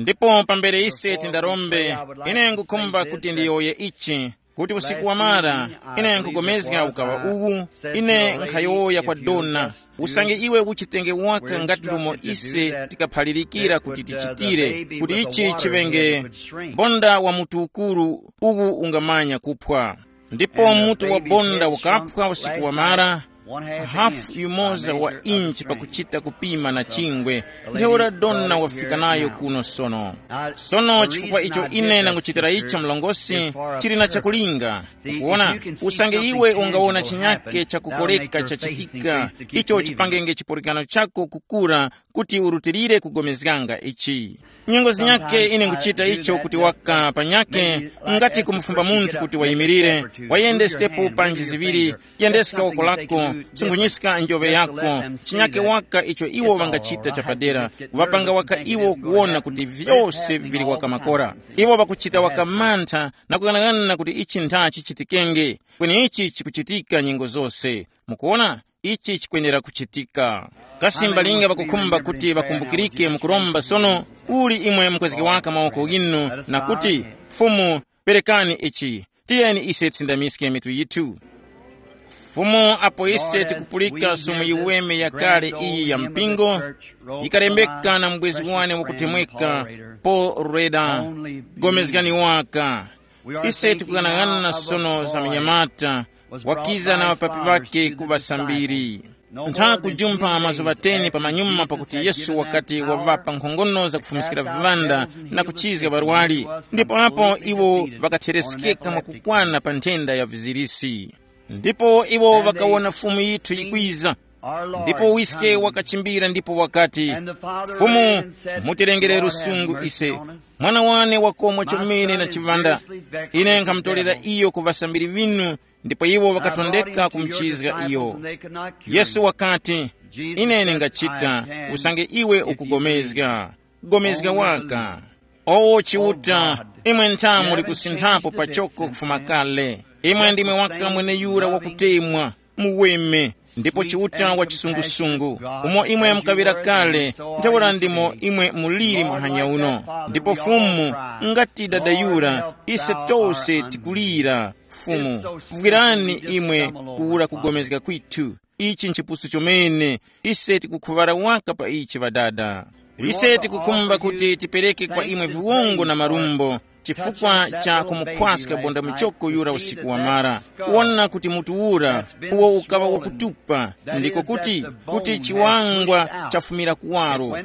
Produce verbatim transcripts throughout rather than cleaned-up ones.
Ndipo pambere ise tindarombe, ine nkukhumba kuti ndiyowoye ichi, kuti usiku wamara, ine nkugomezga ukaŵa uwu, ine nkhayowoya kwa dona, usange iwe uchitenge waka ngati ndomo ise tikaphalirikira kuti tichitire, kuti ichi chiŵenge bonda wa mutu ukuru uwu ungamanya kuphwa. Ndipo mutu wa bonda ukaphwa usiku wamara, hafu yumoza wa inchi pakuchita kupima na chingwe, ntheura dona wafika nayo kuno sono. Sono chifukwa icho ine nanguchitira icho mlongosi, chili na chakulinga. Ukuwona, usange iwe ungawona chinyake chakukoreka chachitika, icho chipangenge chipulikano chako kukura, kuti urutilire kugomezganga ichi. Nyengo zinyake ine nguchita icho kuti waka panyake, ngati kumufumba munthu kuti wayimirire, wayende sitepu panji ziŵiri, yendeska woko lako, sungunyiska njoŵe yako, chinyake waka icho iwo ŵangachita chapadera, kuŵapanga waka iwo kuwona kuti vyose vili waka makora. Iwo ŵakuchita waka mantha na kughanaghanana kuti ichi ntha chichitikenge, kweni ichi chikuchitika nyengo zose. Mukuwona, ichi chikwenera kuchitika. Kasi mbalinga ŵakukhumba kuti ŵakumbukirike mukuromba sono, uli imwe mukwezge waka mawoko ghinu na kuti, Fumu, perekani ichi, tiyeni ise tisindamiske mitu yithu. Fumu, apo ise tikupulika sumu yiweme yakale iyi ya mpingo, yikalembeka na mubwezi wane wakutemweka, Paul Reda, gomezgani waka. Ise tikughanaghanana sono za munyamata wakiza na ŵapapi ŵakhe ku ŵasambiri. Ntha kujumpha mazuŵa teni pamanyuma pakuti Yesu wakati waŵapa nkhongono zakufumiskira viŵanda na kuchizga ŵarwari, ndipo apo iwo ŵakatheresekeka mwakukwana pa nthenda ya vizirisi. Ndipo iwo ŵakawona Fumu yithu yikwiza, ndipo wiske wakachimbira ndipo wakati, Fumu, mutilengere lusungu ise, mwana wane wakomwa chomene na chiŵanda. Ine nkhamutolera iyo ku ŵasambiri ŵinu, ndipo iwo ŵakatondeka kumuchizga iyo. Yesu wakati, ine ndingachita, usange iwe ukugomezga. Gomezga waka. O Chiuta, imwe ntha muli kusinthapo pachoko kufuma kale. Imwe ndimwe waka mweneyura wakutemwa, muweme, ndipo Chiuta wa chisungusungu, umo imwe mukaŵira kale, ntheura ndimo imwe muliri muhanya uno. Ndipo Fumu, ngati dada yura, ise tose tikulira. Fumu, vwirani imwe kuwura kugomezga kwithu. Ichi nchipusu chomene, ise tikukhuŵara waka pa ichi ŵadada. Ise tikukhumba kuti tipereke kwa imwe viwongo na marumbo chifukwa cha kumukhwaska bonda muchoko yura usiku wamara, kuwona kuti mutu ura uwo ukaŵa wakutupa, ndiko kuti, kuti chiwangwa chafumira kuwaro,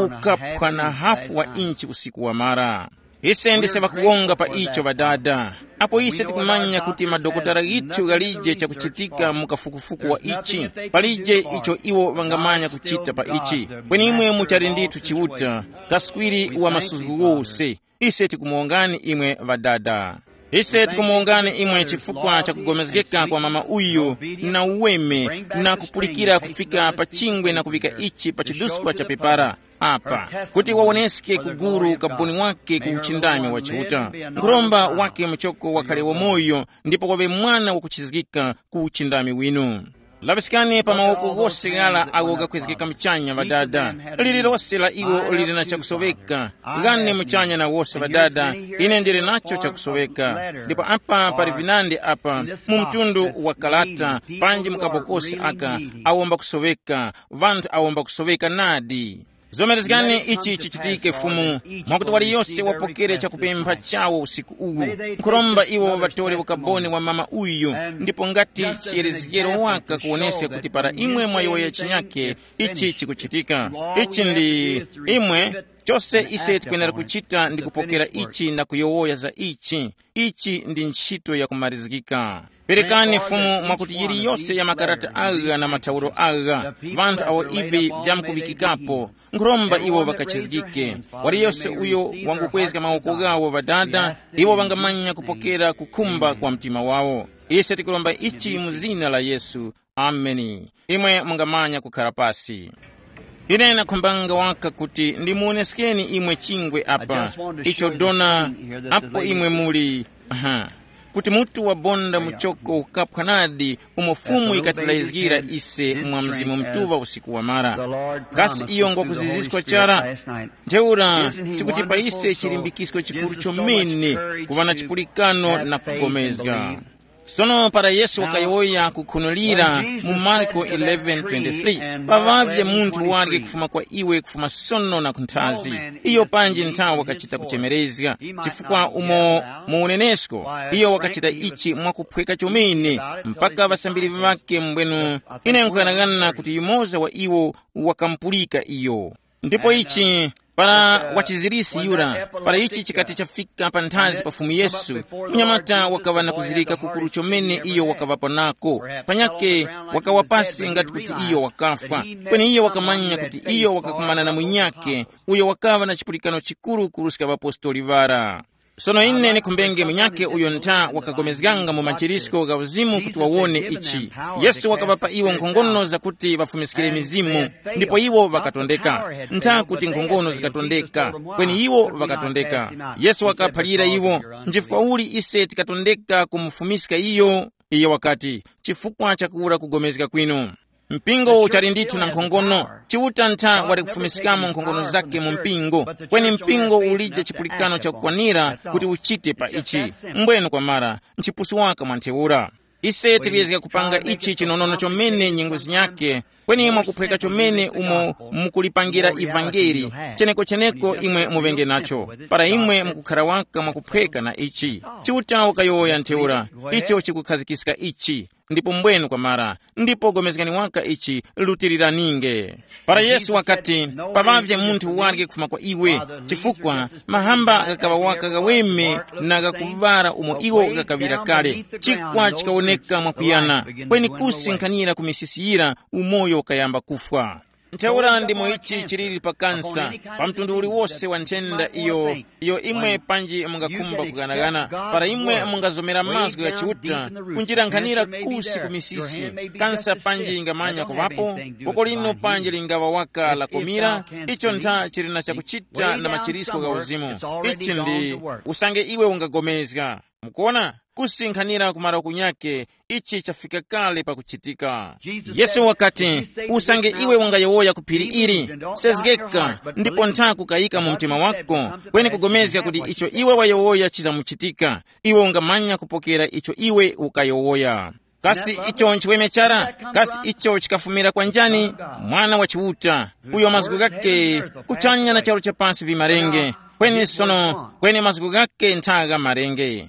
ukaphwa na hafu wa inchi usiku wamara. Ise ndise ŵakuwonga pa icho ŵadada. Apo ise tikumanya kuti madokotala ghithu ghalije chakuchitika mu kafukufuku wa ichi, palije icho iwo ŵangamanya kuchita pa ichi, kweni imwe muchali ndithu Chiuta, kaswiri wa masuzgo ghose. Ise tikumuwongani imwe ŵadada. Ise tikumuwongani imwe chifukwa cha kugomezgeka kwa mama uyu na uweme na kupulikira kufika pa chingwe na kuŵika ichi pa chiduskwa cha pepara apa, kuti wawoneske ku guru ukaboni wake ku uchindami wa Chiuta. Nkhuromba wake muchoko wakhale wamoyo ndipo waŵe mwana wakuchizgika ku uchindami winu. Laŵiskani pa mawoko ghose ghala agho ghakwezgeka muchanya ŵadada. Lililose la iwo lili na chakusoweka. Ghane muchanya na wose ŵadada, ine ndili nacho chakusoweka. Ndipo apa pali vinandi apa, mu mtundu wa kalata, panji mu kabokosi aka, awomba kusoweka, ŵanthu awomba kusoweka nadi. Zomerezgani ichi chichitike Fumu, mwakuti waliyose wapokere chakupempha chawo usiku uwu. Nkhuromba iwo ŵatore ukaboni wa mama uyu, ndipo ngati chiyerezgero waka kuwoneska kuti para imwe mwayowoya chinyake, ichi chikuchitika. Ichi ndi imwe, chose ise tikwenera kuchita ndi kupokera ichi na kuyowoya za ichi. Ichi ndi ntchito yakumarizgika. Perekani Fumu mwakuti yiliyose ya makarata agha na mathauro agha, vanthu awo ivi vyamkuŵikikapo, nkhuromba iwo ŵakachizgike. Waliyose uyo wangukwezga mawoko ghawo ŵadada, iwo ŵangamanya kupokera kukhumba kwa mtima wawo. Ise tikuromba ichi mu zina la Yesu. Ameni. Imwe mungamanya kukhara pasi. Ine nakhumbanga waka kuti ndimuwoneskeni imwe chingwe apa, icho dona, apo imwe muli. Aha. kuti mutu wabonda muchoko ukaphwa nadi, umo Fumu ikatilayizgira ise mwa Mzimu Mutuŵa usiku wamara. Kasi iyo ngwakuziziskwa chara? Ntheura, tikuti pa ise chilimbikisko chikuru chomene kuŵa na chipulikano na kugomezga. Sono para Yesu wakayowoya kukhunulira mu Marko eleven twenty-three, paŵavye munthu warye kufuma kwa iwe kufuma sono na kunthazi. Iyo panji nthawi wakachita kuchemerezga, chifukwa umo mu unenesko iyo wakachita ichi mwakuphweka chomene, mpaka ŵasambiri ŵake mbwenu, ine nkughanagana kuti yumoza wa iwo wakamupulika iyo. Ndipo ichi, para wachizirisi yura, para ichi chikati chafika pa nthazi pa Fumu Yesu, munyamata wakaŵa na kuzirika kukuru chomene iyo wakaŵapo nako. Panyake wakawa pasi ngati kuti iyo wakafwa. Kweni iyo wakamanya kuti iyo wakakumana na munyake uyo wakaŵa na chipulikano chikuru kuruska ŵapostoli ŵara. Sono ine ndikhumbenge munyake uyo ntha wakagomezganga mu machirisko gha uzimu kuti wawone ichi. Yesu wakaŵapa iwo nkhongono zakuti ŵafumiskire mizimu, ndipo iwo ŵakatondeka. Ntha kuti nkhongono zikatondeka, kweni iwo ŵakatondeka. Yesu wakaphalira iwo, nchifukwa uli ise tikatondeka kumufumiska iyo? Iyo wakati, chifukwa chakuwura kugomezga kwinu. Mpingo uchali ndithu na nkhongono. Chiuta ntha wali kufumiskamo nkhongono zake mu mpingo, kweni mpingo ulije chipulikano chakukwanira kuti uchite pa ichi. Mbwenu kwamara, nchipusu waka mwa ntheura. Ise tikuyezga kupanga ichi chinonono chomene nyengo zinyake, kweni mwakuphweka chomene umo mukulipangira ivangeli, cheneko-cheneko imwe muŵenge nacho, para imwe mukukhara waka mwakuphweka na ichi. Chiuta wakayowoya ntheura, icho chikukhazikiska ichi. Ndipo mbwenu kwamara, ndipo gomezgani waka ichi, lutiriraninge. Para Yesu wakati, paŵavye munthu warye kufuma kwa iwe, chifukwa mahamba ghakaŵa waka ghaweme na ghakuŵara umo iwo ghakaŵira kale. Chikwa chikawoneka mwakuyana, kweni kusi nkhanira ku misisi yira, umoyo ukayamba kufwa. Ntheura ndimo ichi chiliri pa kansa, pa mtundu uliwose wa nthenda iyo, iyo imwe panji mungakhumba kughanaghana, para imwe mungazomera mazgu gha Chiuta, kunjira nkhanira kusi ku misisi, kansa panji ingamanya kuŵapo, boko lino panji lingaŵa waka la kumira, icho ntha chili na chakuchita na machirisko gha uzimu. Ichi ndi usange iwe ungagomezga. Mukuona, kusinkhanira ku maroku nyakhe, ichi chafika kale pakuchitika. Yesu wakati, usange iwe ungayowoya ku phiri ili, sezgeka, ndipo ntha kukayika mu mtima wako, kweni kugomezga kuti icho iwe wayowoya chizamuchitika, iwe ungamanya kupokera icho iwe ukayowoya. Kasi icho nchiweme chara? Kasi icho chikafumira kwa njani? Mwana wa Chiuta, uyo mazgu ghakhe kuchanya na charu cha pasi vimarenge, kweni sono kweni mazgu ghakhe ntha gha marenge.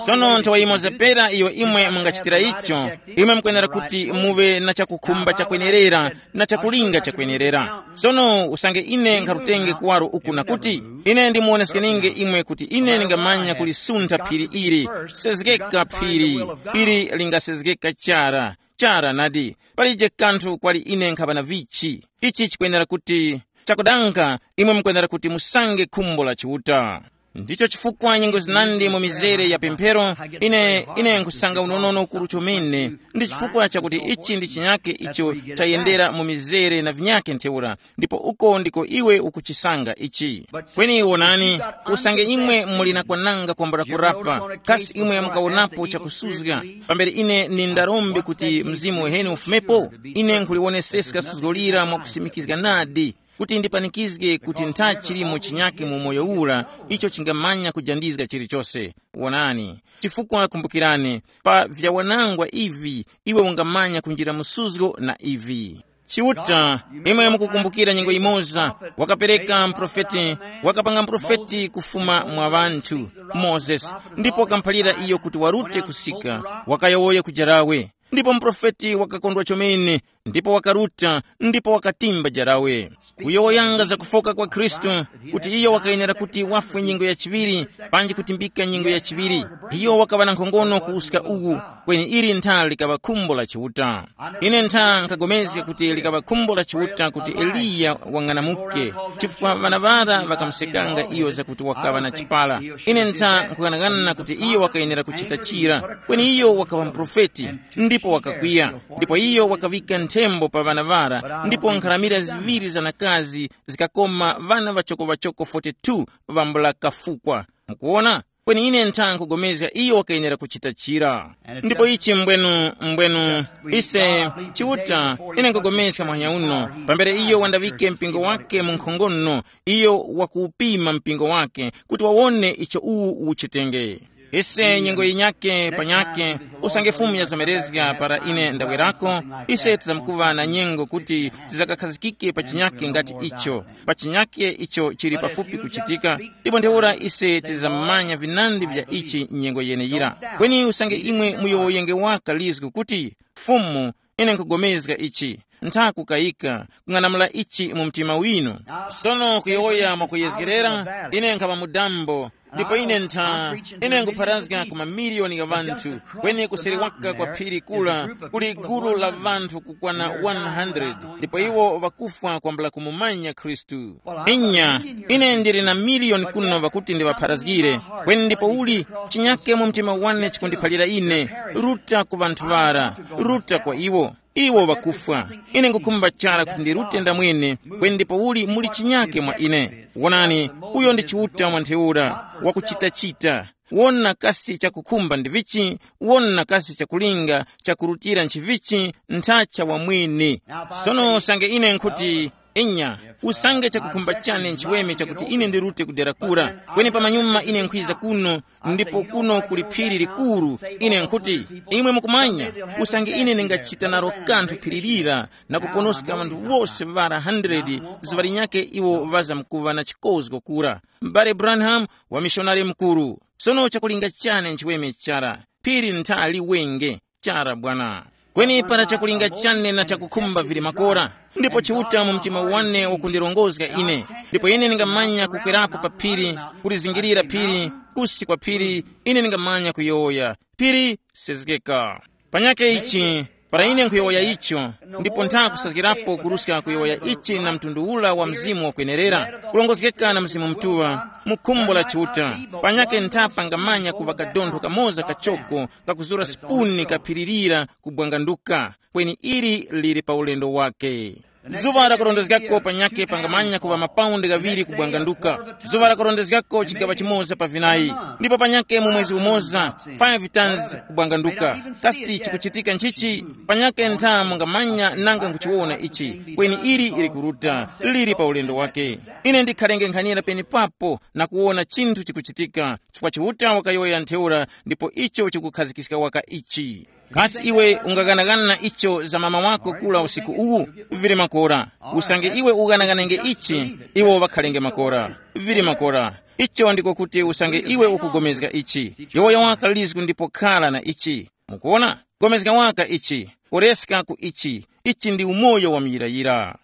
Sono nthawa yimoza pera iyo imwe mungachitira icho, imwe mukwenera kuti muve na chakukhumba chakwenerera na chakulinga chakwenerera. Sono usange ine nkharutenge kuwaro uku na kuti, ine ndimuwoneskeninge imwe kuti ine ndingamanya kulisuntha phiri ili. Sezgeka phiri, ili lingasezgeka chara, chara nadi, palije kanthu kwali ine nkhaŵa na vichi. Ichi chikwenera kuti chakudanga, imwe mukwenera kuti musange khumbo la Chiuta. Ndicho chifukwa nyengo zinandi mu mizere ya pemphero, ine ine nkhusanga unonono ukuru chomene. Ndi chifukwa chakuti ichi ndi chinyake icho chayendera mu mizere na vinyake ntheura, ndipo uko ndiko iwe ukuchisanga ichi. Kweni wonani, usange imwe muli na kwananga kwambula kurapa, kasi imwe mukawonapo chakusuzga? Pambere ine nindarombe kuti mzimu weheni ufumepo, ine nkhuliwoneseska suzgo lira mwakusimikizga nadi, kuti ndipanikizge kuti ntha chilimo chinyake mu moyo ura icho chingamanya kujandizga chilichose. Wonani, chifukwa kumbukirani, pa vyawanangwa ivi iwe ungamanya kunjira musuzgo na ivi. Chiuta, imwe mukukumbukira nyengo imoza, wakapereka mprofeti, wakapanga mprofeti kufuma mwa ŵanthu, Mozesi, ndipo wakamphalira iyo kuti warute kusika, wakayowoya kujarawe. Ndipo muprofeti wakakondwa chomene, ndipo wakaruta, ndipo wakatimba jarawe. Kuyowoyanga za kufoka kwa Khristu, kuti iyo wakayenera kuti wafwe nyengo ya chiŵiri, panji kutimbika nyengo ya chiŵiri. Iyo wakaŵa na nkhongono kuwuska uwu, kweni ili ntha likaŵa khumbo la Chiuta. Ine ntha nkagomezga kuti likaŵa khumbo la Chiuta kuti Eliya wang'anamuke, chifukwa ŵana ŵara ŵakamusekanga iyo zakuti wakaŵa na chipala. Ine ntha nkughanagana kuti iyo wakayenera kuchita chira, kweni iyo wakaŵa muprofeti, ndipo wakakwiya, ndipo iyo wakaŵika nthembo pa ŵana ŵara, ndipo nkharamira ziŵiri za nakazi zikakoma ŵana ŵachoko-ŵachoko forty-two ŵambula kafukwa. Mukuwona? Kweni ine ntha nkugomezga iyo wakayenera kuchita chira. Ndipo ichi mbwenu, mbwenu, ise, Chiuta, ine nkugomezga muhanya uno, pambere iyo wandaŵike mpingo wake mu nkhongono, iyo wakuwupima mpingo wake, kuti wawone icho uwu uchitenge. Ise nyengo yinyake panyake, usange Fumu yazomerezga para ine ndawerako, ise tizamkuŵa na nyengo kuti tizakakhazikike pa chinyake ngati icho, pa chinyake icho chili pafupi kuchitika. Ndipo ntheura ise tizamanya vinandi vya ichi nyengo yeneyira. Kweni usange imwe muyowoyenge waka lizgu kuti, Fumu, ine nkugomezga ichi, ntha kukayika, kung'anamula ichi mu mtima winu. Sono kuyowoya mwakuyezgerera, ine nkhaŵa mudambo, ndipo ine ntha, ine nkupharazga ku mamiliyoni gha ŵanthu, kweni kuseri waka kwa phiri kula kuli gulu la ŵanthu kukwana one hundred, ndipo iwo ŵakufwa kwambula kumumanya Khristu. Inya, ine ndili na miliyoni kuno ŵakuti ndiŵapharazgire, kweni ndipo uli chinyake mu mtima wane chikundiphalira ine, ruta ku ŵanthu ŵara, ruta kwa iwo. Iwo ŵakufwa. Ine ngukhumba chara kuti ndirute ndamwene, kweni ndipo uli muli chinyake mwa ine. Wonani, uyo ndi Chiuta mwa ntheura, wakuchitachita. Wona kasi chakukhumba ndi vichi, wona kasi chakulinga, chakurutira nchivichi, nthacha wamwene. Sono usange ine nkhuti, inya, usange chakukhumba chane nchiweme chakuti ine ndirute kudera kura, kweni pamanyuma ine nkhwiza kuno, ndipo kuno kuli phiri likuru, ine nkhuti, imwe mukumanya, usange ine ndingachita naro kanthu phiri lira, na kuponoska ŵanthu wose ŵara hundred zuŵa linyakhe iwo ŵazamkuŵa na chikozgo kura. M'bale Branham, wamishonari mukuru. Sono chakulinga chane nchiweme chara, phiri nthali wenge, chara bwana. Kweni para chakulinga chane na chakukhumba vili makora, ndipo Chiuta mu mtima wane wakundirongozga ine, ndipo ine ndingamanya kukwerapo pa phiri, kulizingirira phiri, kusi kwa phiri, ine ndingamanya kuyowoya, phiri, sezgeka. Panyake ichi, para ine nkhuyowoya icho, ndipo ntha kusazgirapo kuruska kuyowoya ichi na mtundu ula wa mzimu wakwenerera, kulongozgeka na Mzimu Mutuŵa, mu khumbo la Chiuta, panyake ntha pangamanya kuŵa kadontho kamoza kachoko kakuzura sipuni kaphiririra kubwanganduka, kweni ili lili pa ulendo wake. Zuŵa lakurondezgako panyakhe pangamanya kuŵa mapaundi ghaŵiri kubwanganduka. Zuŵa lakurondezgako chigaŵa chimoza pa vinayi, ndipo panyakhe mu mwezi umoza, five tons kubwanganduka. Kasi chikuchitika nchichi? Panyakhe ntha mungamanya nanga nkuchiwona ichi, kweni ili likuruta, lili pa ulendo wake. Ine ndikhalenge nkhanira penepapo na kuwona chinthu chikuchitika, chifukwa Chiuta wakayowoya ntheura, ndipo icho chikukhazikiska waka ichi. Kasi iwe ungaganaghana icho za mama wako kula usiku uwu? Vili makora. Usange iwe uganaganenge ichi, iwo ŵakhalenge makora. Vili makora. Icho ndiko kuti usange iwe ukugomezga ichi, yowoya waka lizgu ndipo khala na ichi. Mukuona? Gomezga waka ichi, ureska ku ichi. Ichi ndi umoyo wa muyirayira.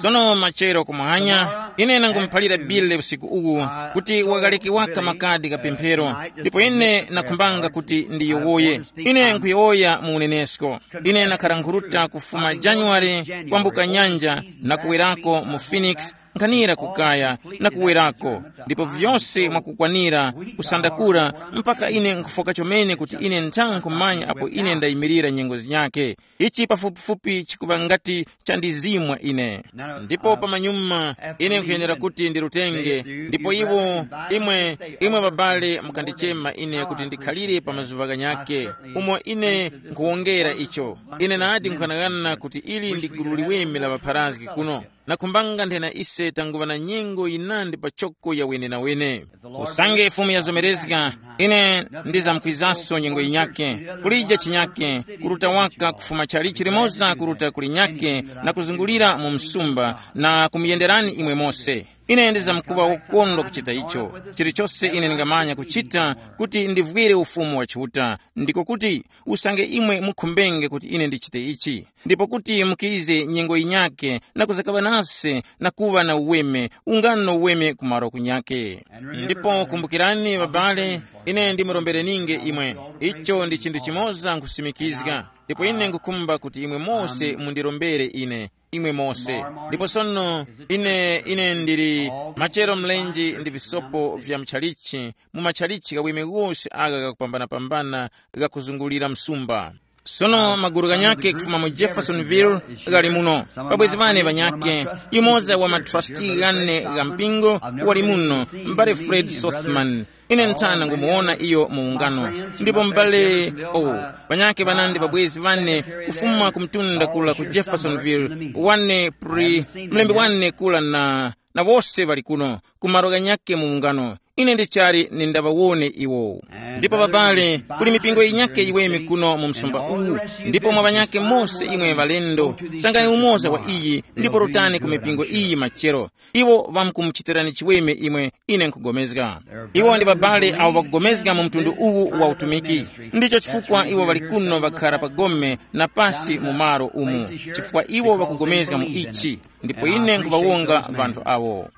Sono machero kumuhanya, ine nangumuphalira Bile usiku uwu kuti wakaleke waka makadi ka pemphero, ndipo ine nakhumbanga kuti ndiyowoye. Ine nkuyowoya mu unenesko. Ine nakhala nkhuruta kufuma January kwambuka nyanja na kuwerako mu Phoenix, nkhanira kukaya na kuwerako, ndipo vyose mwakukwanira kusandakura mpaka ine nkufoka chomene kuti ine ntha nkhumanya apo ine ndayimirira nyengo zinyakhe. Ichi pafupifupi chikuŵa ngati chandizimwa ine. Ndipo pamanyuma ine nkhuyenera kuti ndirutenge, ndipo iwo, imwe, imwe babale mukandichema ine kuti ndikhalire pa mazuŵa ghanyakhe, umo ine nkhuwongera icho. Ine nadi nkhuganaghana kuti ili ndi gulu liweme la ŵapharazgi kuno. Nakhumbanga nthena ise tanguŵa na nyengo yinandi pachoko ya wenenawene. Usange Fumu yazomerezga, ine ndizamkwizanso nyengo yinyakhe, kulija chinyakhe, kuruta waka kufuma chalichi limoza kuruta kulinyakhe na kuzungulira mu msumba na kumuyenderani imwe mose. Ine ndizamkuŵa wokondwa kuchita icho. Chilichose ine ndingamanya kuchita kuti ndivwire Ufumu wa Chiuta, ndiko kuti usange imwe mukhumbenge kuti ine ndichite ichi, ndipo kuti mukize nyengo yinyakhe na kuzakaŵa nase na kuŵa na uweme, ungano uweme kumaro kunyakhe. Ndipo kumbukirani, babale, ine ndimurombereninge imwe. Icho ndi chinthu chimoza nkhusimikizga, ndipo ine nkhukhumba kuti imwe mose mundirombere ine, imwe mose. Ndipo sono ine, ine ndili machero mlenje ndi visopo vya mchalichi, mu machalichi ghaweme ghose agha ghakupambanapambana ghakuzungulira msumba. Sono maguru ghanyakhe kufuma mu Jeffersonville ghali muno. Pabwezi ŵane ŵanyakhe, yumoza wa matrasti ghane gha mpingo wali muno, m'bale Fred Sothmann. Ine nthana ngumuwona iyo mu ungano. Ndipo m'bale, oh, ŵanyakhe ŵanandi ŵabwezi ŵane kufuma ku mtunda kula ku Jeffersonville, wane pri, mlembi wane kula na, na wose ŵali kuno, ku malo ghanyakhe mu ungano. Ine ndichali nindaŵawone iwo. Ndipo babale, kuli mipingo yinyakhe yiweme kuno mu msumba uwu, ndipo mwa ŵanyakhe mose imwe ŵalendo, sangani umoza wa iyi, ndipo rutani ku mipingo iyi machero. Iwo ŵamkumuchitirani chiweme imwe, ine nkugomezga. Iwo ndi babale awo ŵakugomezga mu mtundu uwu wa utumiki. Ndicho chifukwa iwo ŵali kuno ŵakhara pa gome na pasi mu malo umu, chifukwa iwo ŵakugomezga mu ichi. Ndipo ine nkuŵawonga ŵanthu awo.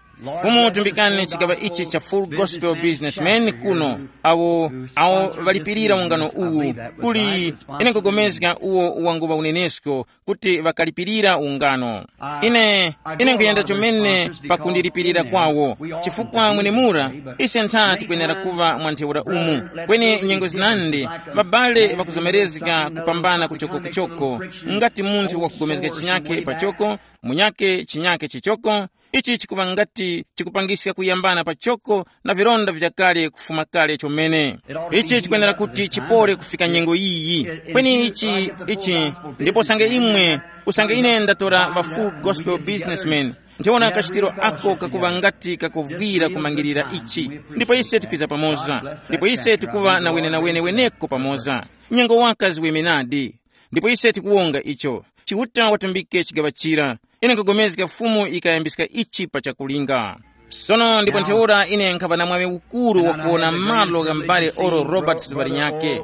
Fumu tumbikani chigaŵa ichi cha Full Gospel Businessmen kuno, awo, awo ŵalipirira ungano uwu. Kuli, ine nkugomezga uwo wanguŵa unenesko kuti ŵakalipirira ungano. Ine, ine nkuyenda chomene pakundilipirira kwawo, chifukwa mwenemura ise ntha tikwenera kuŵa mwa ntheura umu. Kweni nyengo zinandi, ŵabale ŵakuzomerezga kupambana kuchoko kuchoko, ngati munthu wakugomezga chinyakhe pachoko, munyakhe chinyakhe chichoko. Ichi chikuŵa ngati chikupangiska kuyambana pachoko na vilonda vyakale kufuma kale chomene. Ichi chikwenera kuti chipole kufika nyengo yiyi. Kweni ichi, ichi, ndipo usange imwe, usange ine ndatora ŵa Full Gospel Businessmen, ndiona kachitiro ako kakuŵa ngati kakuvwira kumangirira ichi. Ndipo ise tikwiza pamoza, ndipo ise tikuŵa na wenenawene weneko pamoza. Nyengo waka ziwemenadi. Ndipo ise tikuwonga icho. Chiuta watumbike chigaŵa chira. Ine nkugomezga Fumu yikayambiska ichi pa chakulinga. Sono ndipo ntheura ine nkhaŵa na mwaŵi ukuru wakuwona malo gha m'bale Oral Roberts ŵalinyakhe.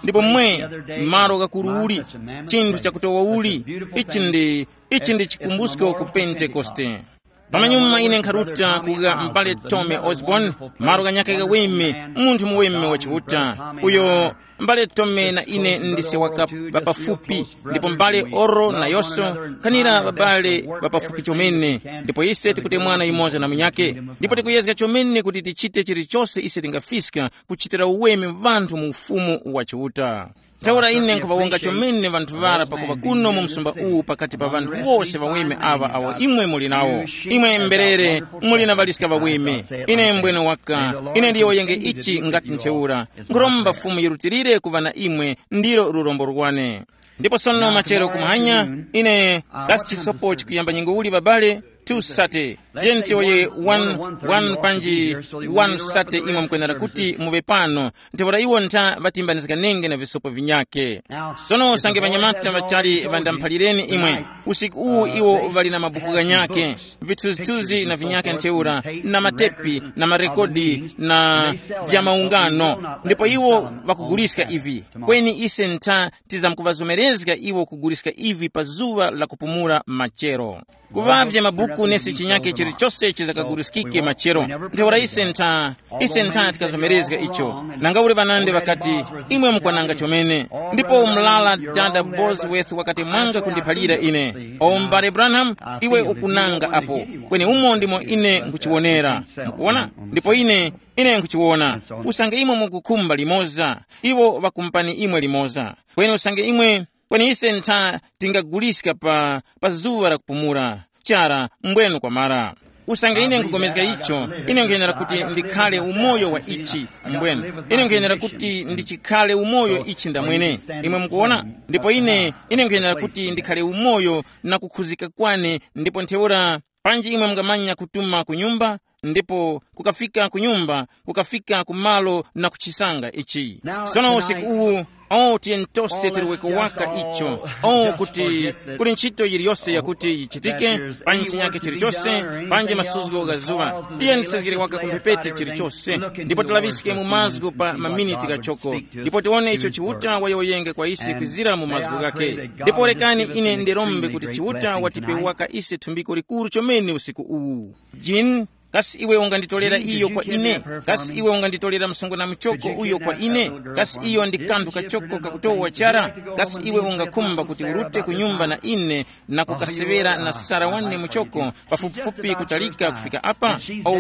Ndipo mwe, malo ghakuruuli, chinthu chakutowa uli, ichi ndi, ichi ndi chikumbusko ku Pentekoste. Pamanyuma ine nkharuta kuga m'bale Tommy Osborn, malo ghanyakhe ghaweme, munthu muweme wa Chiuta. Uyo m'bale Tommy na ine ndise waka ŵapafupi, ndipo m'bale Oral nayonso, khanira ŵabale ŵapafupi chomene, ndipo ise tikutemwana yumoza na munyakhe, ndipo tikuyezga chomene kuti tichite chilichose ise tingafiska kuchitira uweme ŵanthu mu Ufumu wa Chiuta. Ntheura ine nkhuŵawonga chomene ŵanthu ŵara pakuŵa kuno mu msumba uwu pakati pa ŵanthu wose ŵaweme aŵa awo imwe muli nawo. Imwe mberere, muli na ŵaliska ŵaweme. Ine mbwene waka, ine ndiyowoyenge ichi ngati ntheura. Nkhuromba Fumu yirutilire kuŵa na imwe, ndilo lurombo lwane. Ndipo sono machero kumahanya, ine kasi chisopo chikuyamba nyengo uli babale? Two sate. Tiyeni tiyowoye one, one panji one sate imwe mukwenera kuti muŵe pano. Ntheura iwo ntha ŵatimbanizganenge na visopo vinyakhe. Sono usange ŵanyamata ŵachali ŵandamphalireni imwe. Usiku uwu iwo ŵali na mabuku ghanyakhe, vithunzithunzi na vinyakhe ntheura, na matepi na marekodi na vya maungano. Ndipo iwo ŵakuguliska ivi. Kweni ise ntha tizamkuŵazomerezga iwo kuguliska ivi pa zuŵa la kupumula machero. Kuŵavya mabuku nesi chinyakhe chilichose chizakaguliskike machero. Ntheura ise ntha, ise ntha tikazomerezga icho. Nanga uli ŵanandi ŵakati, imwe mukwananga chomene. Ndipo mlala dada Bosworth wakati mwanga kundiphalira ine, o m'bale Branham, iwe ukunanga apo. Kweni umo ndimo ine nkuchiwonera. Mukuwona? Ndipo ine, ine nkuchiwona. Usange imwe mukukhumba limoza, iwo ŵakumpani imwe limoza. Kweni usange imwe, kweni ise ntha tingaguliska pa, pa zuŵa la kupumula. Chara, mbwenu kwamara. Usange ine nkupulikana icho, ine nkwenera kuti ndikhale umoyo wa ichi. Mbwenu, ine nkwenera kuti ndichikhale umoyo ichi ndamwene. Imwe mukuwona? Ndipo ine, ine nkwenera kuti ndikhale umoyo na kukhuzika kwane, ndipo ntheura, panji imwe mungamanya kutuma ku nyumba, ndipo kukafika ku nyumba, kukafika ku malo na kuchisanga ichi. Sono usiku uwu, o tiyeni tose tiliweko waka icho, o kuti kuli ntchito yiliyose yakuti yichitike, panji chinyakhe chilichose, panji masuzgo gha zuŵa, tiyeni tisezgere waka ku mphepete chilichose, ndipo tilaŵiske mu mazgu pa maminiti ghachoko, ndipo tiwone icho Chiuta wayowoyenge kwa ise kwizira mu mazgu ghakhe. Ndipo rekani ine ndirombe kuti Chiuta watipe waka ise thumbiko likuru chomene usiku uwu. Jean, Kasi iwe unganditolera iyo kwa ine? Kasi iwe unganditolera msungwana muchoko uyo kwa ine? Kasi iyo ndi kanthu kachoko kakutowa chara? Kasi iwe ungakhumba kuti urute ku nyumba na ine na kukaseŵera na Sara wane muchoko pafupifupi kutalika kufika apa? Oh,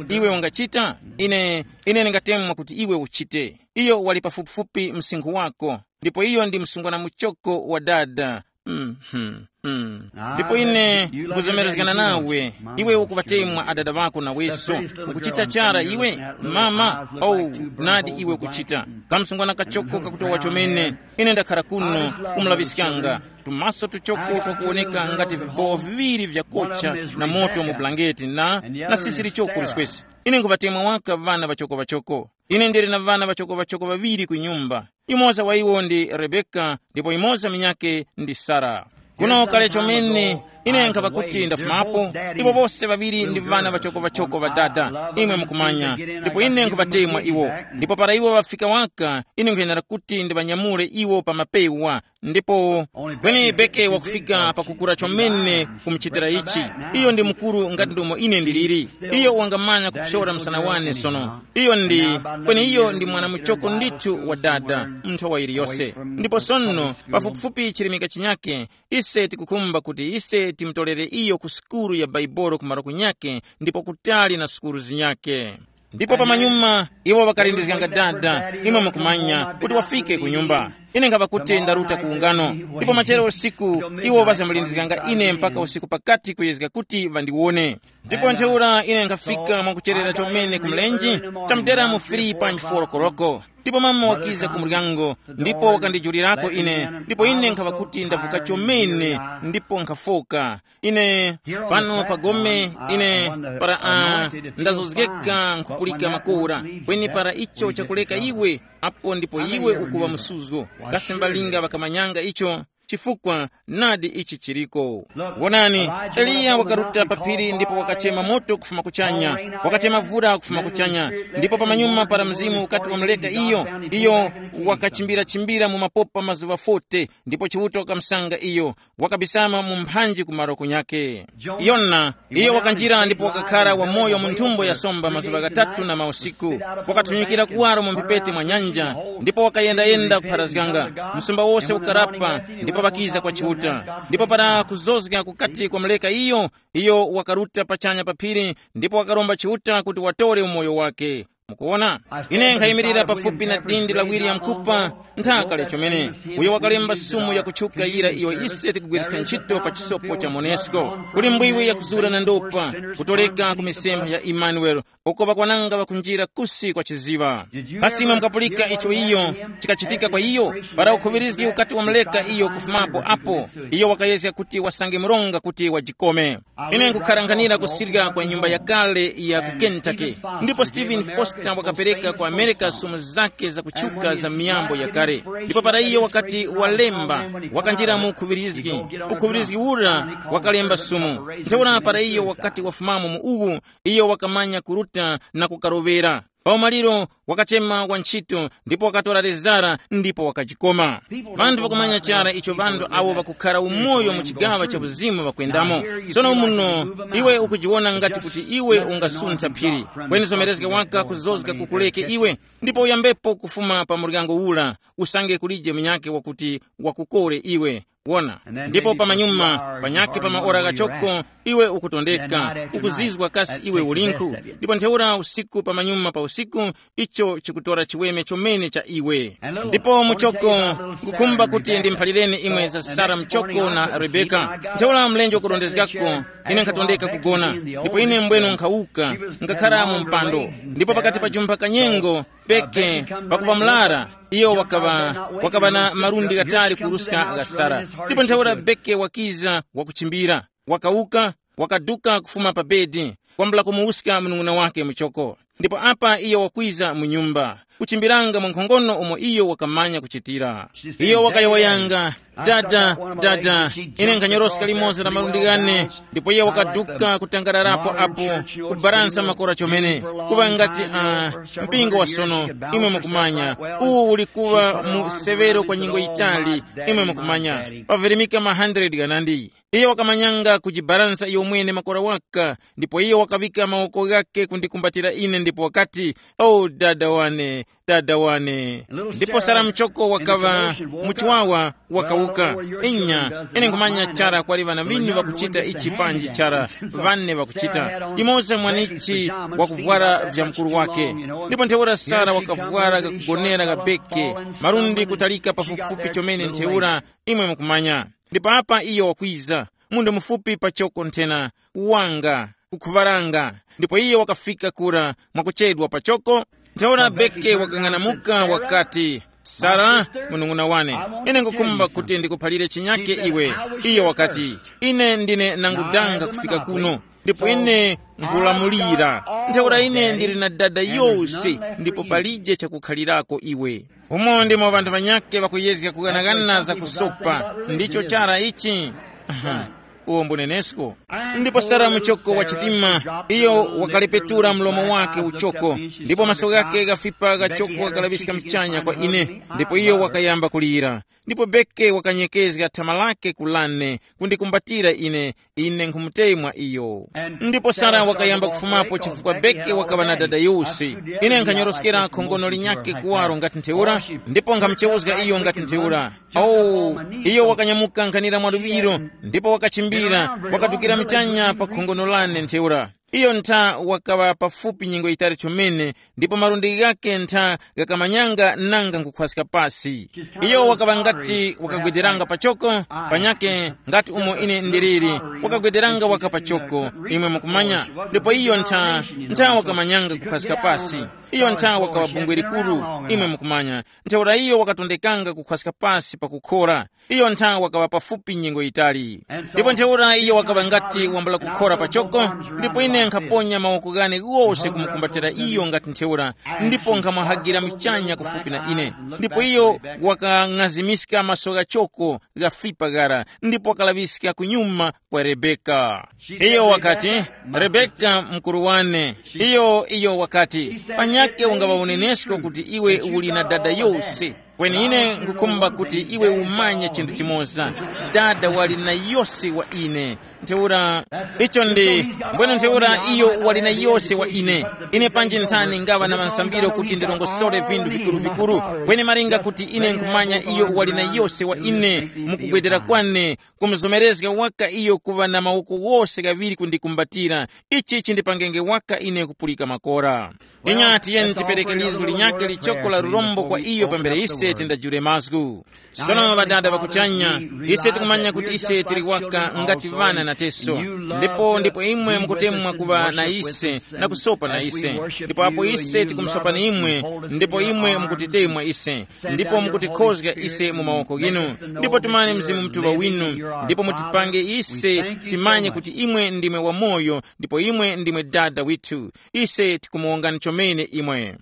iwe ungachita? Ine, ine ndingatemwa kuti iwe uchite. Iyo wali pafupifupi msinkhu wako, ndipo iyo ndi msungwana muchoko wa dada. Mhm. Mm. Ndipo ine nkuzomerezgana nawe, iwe ukuŵatemwa adada ŵako naweso. Ukuchita chara iwe? Mama, oh, nadi iwe ukuchita. Kamsungwana kachoko kakutowa chomene. Ine ndakhara kuno kumulaŵiskanga, tumaso tuchoko twakuwoneka ngati vibowo viŵiri vyakocha na moto mu bulangeti na, na sisiri choko liswesi. Ine nkhuŵatemwa waka ŵana ŵachoko-ŵachoko. Ine ndili na ŵana ŵachoko-ŵachoko ŵaŵiri ku nyumba. Yumoza wa iwo ndi Rebeka, ndipo yumoza munyakhe ndi Sara. Kuno kale chomene, ine nkhapa kuti ndafumapo, iwo wose ŵaŵiri ndi ŵana ŵachoko-ŵachoko ŵa dada, imwe mukumanya, ndipo ine nkhuŵatemwa iwo. Ndipo para iwo ŵafika waka, ine nkhuyenera kuti ndiŵanyamule iwo pa mapewa. Ndipo kweni Beke wakufika pakukura chomene kumuchitira ichi. Iyo ndi mukuru ngati ndomo ine ndiliri. Iyo wangamanya kuphyora msana wane sono. Iyo ndi, kweni iyo ndi mwana muchoko ndithu wa dada, nthowa yiliyose. Ndipo sono, pafupifupi chirimika chinyake, ise tikukhumba kuti ise timutolere iyo ku sukulu ya Baibolo ku maroku nyake ndipo kutali na sukulu zinyake. Ndipo pamanyuma iwo ŵakalindizganga dada, imwe mukumanya, kuti wafike ku nyumba. Ine nkhaŵa kuti ndaruta ku ungano, ndipo machero usiku iwo ŵazamulindizganga ine mpaka usiku pakati kuyezga kuti ŵandiwone. Ndipo ntheura ine nkhafika mwakucherera chomene ku mlenje, tamudera mu three point four koloko. Ndipo mama wakiza ku muryango, ndipo wakandijulirako ine, ndipo ine nkhaŵa kuti ndavuka chomene, ndipo nkhafoka. Ine pano pa gome, ine para a ndazozgeka nkhupulika makora, kweni para icho chakuleka iwe, apo ndipo iwe ukuŵa msuzgo. Kasi mbalinga ŵakamanyanga icho? Chifukwa nadi ichi chiriko. Wonani, Eliya wakaruta pa phiri ndipo wakachema moto kufuma kuchanya, wakachema vura kufuma kuchanya, ndipo pamanyuma para mzimu ukati wamuleka iyo, iyo wakachimbira-chimbira mu mapopa mazuŵa forty, ndipo Chiuta wakamusanga iyo, wakabisama mu mphanji ku maroko nyakhe. Yona, iyo wakanjira ndipo wakakhara wamoyo mu nthumbo ya somba mazuŵa ghatatu na mausiku. Wakathunyikira kuwaro mu mphepete mwa nyanja, ndipo wakayendayenda kupharazganga. Msumba wose ukarapa, ndipo ŵakiza kwa Chiuta. Ndipo para kuzozga kukati kwamuleka iyo, iyo wakaruta pachanya pa phiri, ndipo wakaromba Chiuta kuti watore umoyo wake. Mukuwona? Ine nkhayimirira pafupi na dindi la William Cooper, nthaka lya chomene, uyo wakalemba sumu yakutchuka yira iyo ise tikugwiriska ntchito pa chisopo cha monesco, kuli mbwiwi yakuzura na ndopa, kutoleka ku misempha ya Emmanuel, uko ŵakwananga ŵakunjira kusi kwa chiziŵa. Kasi imwe mukapulika icho iyo chikachitika kwa iyo? Para ukhuŵirizgi ukati wamuleka iyo kufumapo apo, iyo wakayezga kuti wasange mronga kuti wajikome. Ine nkukharanghanira kusirya kwa nyumba yakale ya ku Kentucky, ndipo Stephen Foster wakapereka ku America sumu zake zakutchuka za miyambo yakale. Ndipo para iyo wakati walemba, wakanjira mu ukhuŵirizgi. Ukhuŵirizgi ura wakalemba sumu. Ntheura para iyo wakati wafumamo mu uwu, iyo wakamanya kuruta na kukaroŵera. Pa umaliro wakachema wantchito ndipo wakatora lezara ndipo wakajikoma. Ŵanthu ŵakumanya chara icho ŵanthu awo ŵakukhara umoyo mu chigaŵa cha uzimu ŵakwendamo. Sono muno iwe ukujiwona ngati kuti iwe ungasuntha phiri, kweni zomerezga waka kuzozga kukuleke iwe, ndipo uyambepo kufuma pa muryango ura, usange kulije munyakhe wakuti wakukore iwe. Wona, ndipo pamanyuma panyakhe pa maora ghachoko iwe ukutondeka, ukuzizwa kasi iwe ulinkhu. Ndipo ntheura usiku pamanyuma pa usiku, icho chikutora chiweme chomene cha iwe. Ndipo muchoko, nkukhumba kuti ndimphalireni imwe za Sara muchoko na Rebeka. Ntheura mlenje ukurondezgako, ine nkhatondeka kugona, ndipo ine mbwenu nkhawuka, nkakhara mu mpando. Ndipo pakati pa jumpha kanyengo, Beke, pakupa mlara, iyo wakaŵa, wakaŵa na malundi ghatali kuruska gha Sara. Ndipo ntheura Beke wakiza wakuchimbira, wakawuka, wakaduka kufuma pa bedi, kwambula kumuwuska munung'una wake muchoko. Ndipo apa iyo wakwiza mu nyumba, kuchimbiranga mwankhongono umo iyo wakamanya kuchitira. Iyo wakayowoyanga, dada, dada, ine nkhanyoroska limoza la malundi ghane. Ndipo iye wakaduka kutangararapo apo, kubaransa makora chomene, kuŵa ngati uh, mpingo wa sono, imwe mukumanya, uwu uli kuŵa mu severo kwa nyengo yitali, imwe mukumanya, pavirimika ma hundred ghanandi. Iyo wakamanyanga kujibaransa iyo mwene makora waka, ndipo iyo wakaŵika mawoko ghakhe kundikumbatira ine ndipo wakati, "O dada wane, dada wane." Ndipo Sara Muchoko wakaŵa muchiwawa, wakawuka. Inya, ine nkhumanya chara kwali ŵana ŵinu ŵakuchita ichi panji chara, ŵane ŵakuchita. Yumoza mwanichi wakuvwara vya mukuru wake. Ndipo ntheura Sara wakavwara kakugonera kabeke, malundi kutalika pafupifupi chomene ntheura, imwe mukumanya. Ndipo apa iyo wakwiza, munthu mufupi pachoko nthena, wanga, kukhuŵaranga. Ndipo iyo wakafika kura mwakuchedwa pachoko. Ntheura Beke wakang'anamuka wakati, "Sara, munung'una wane, ine ngukhumba kuti ndikuphalire chinyake iwe." Iyo wakati, "Ine ndine nangudanga kufika kuno, ndipo ine nkhulamulira. Ntheura ine ndili na dada yose, ndipo palije chakukhalirako iwe." Umo ndimo ŵanthu ŵanyakhe ŵakuyezga kughanaghana za kusopa. Ndicho chara ichi. Aha, uwo mbunenesko. Ndipo Sara muchoko wa chitima, iyo wakalepetura mlomo wake uchoko, ndipo maso ghake ghafipa ghachoko ghakalaŵiska mchanya kwa ine, ndipo iyo wakayamba kulira. Ndipo Beke wakanyekezga thama lake kulane, kundikumbatira ine, ine nkhumutemwa iyo. Ndipo Sara wakayamba kufumapo chifukwa Beke wakaŵa na dada yose. Ine nkhanyoroskera khongono linyakhe kuwaro ngati ntheura, ndipo nkhamuchewuzga iyo ngati ntheura. Oh, iyo wakanyamuka nkhanira mwaluŵiro, ndipo wakachimbira, wakadukira mchanya pa khongono lane ntheura. Iyo ntha wakaŵa pafupi nyengo yitali chomene, ndipo malundi ghakhe ntha ghakamanyanga nanga nkhukhwaska pasi. Iyo wakaŵa ngati wakagwederanga pachoko, panyakhe ngati umo ine ndiliri, wakagwederanga waka pachoko, imwe mukumanya. Ndipo iyo ntha, ntha wakamanyanga kukhwaska pasi. Iyo ntha wakaŵa bungwe likuru, imwe mukumanya. Ntheura iyo wakatondekanga kukhwaska pasi pakukhora. Iyo ntha wakaŵa pafupi nyengo yitali. Ndipo ntheura iyo wakaŵa ngati wambula kukhora pachoko, ndipo ine nkhaponya mawoko ghane ghose kumukumbatira iyo ngati ntheura, ndipo nkhamwahagira muchanya kufupi na ine. Ndipo iyo wakang'azimiska maso ghachoko ghafipa ghara, ndipo wakalaŵiska kunyuma kwa Rebeka. Iyo wakati, "Rebeka mukuru wane." Iyo, iyo wakati, "Panyakhe ungaŵa unenesko kuti iwe uli na dada yose. Kweni ine nkhukhumba kuti iwe umanye chinthu chimoza. Dada wali na yose wa ine. Ntheura, icho ndi, mbwenu ntheura iyo wali na yose wa ine. Ine panji nthani ngaŵa na mansambiro kuti ndirongosore vinthu vikuru-vikuru. Kweni malinga kuti ine nkhumanya iyo wali na yose wa ine, mukugwedera kwane, kumuzomerezga waka iyo kuŵa na mawoko wose ghaŵiri kundikumbatira. Ichi chindipangenge waka ine kupulika makora." Inya tiyeni tipereke lizgu linyakhe lichoko la lurombo kwa iyo pambere ise tindajule mazgu. Sono ŵadada ŵa kuchanya, ise tikumanya kuti ise tili waka ngati ŵana na teso. Ndipo ndipo imwe mukutemwa kuŵa na ise na kusopa na ise. Ndipo apo ise tikumusopani imwe, ndipo imwe mukutitemwa ise, ndipo mukutikhozga ise mu mawoko ghinu, ndipo tumani Mzimu Mutuŵa winu, ndipo mutipange ise timanye kuti imwe ndimwe wamoyo, ndipo imwe ndimwe Dada withu. Ise tikumuwongani chomene imwe.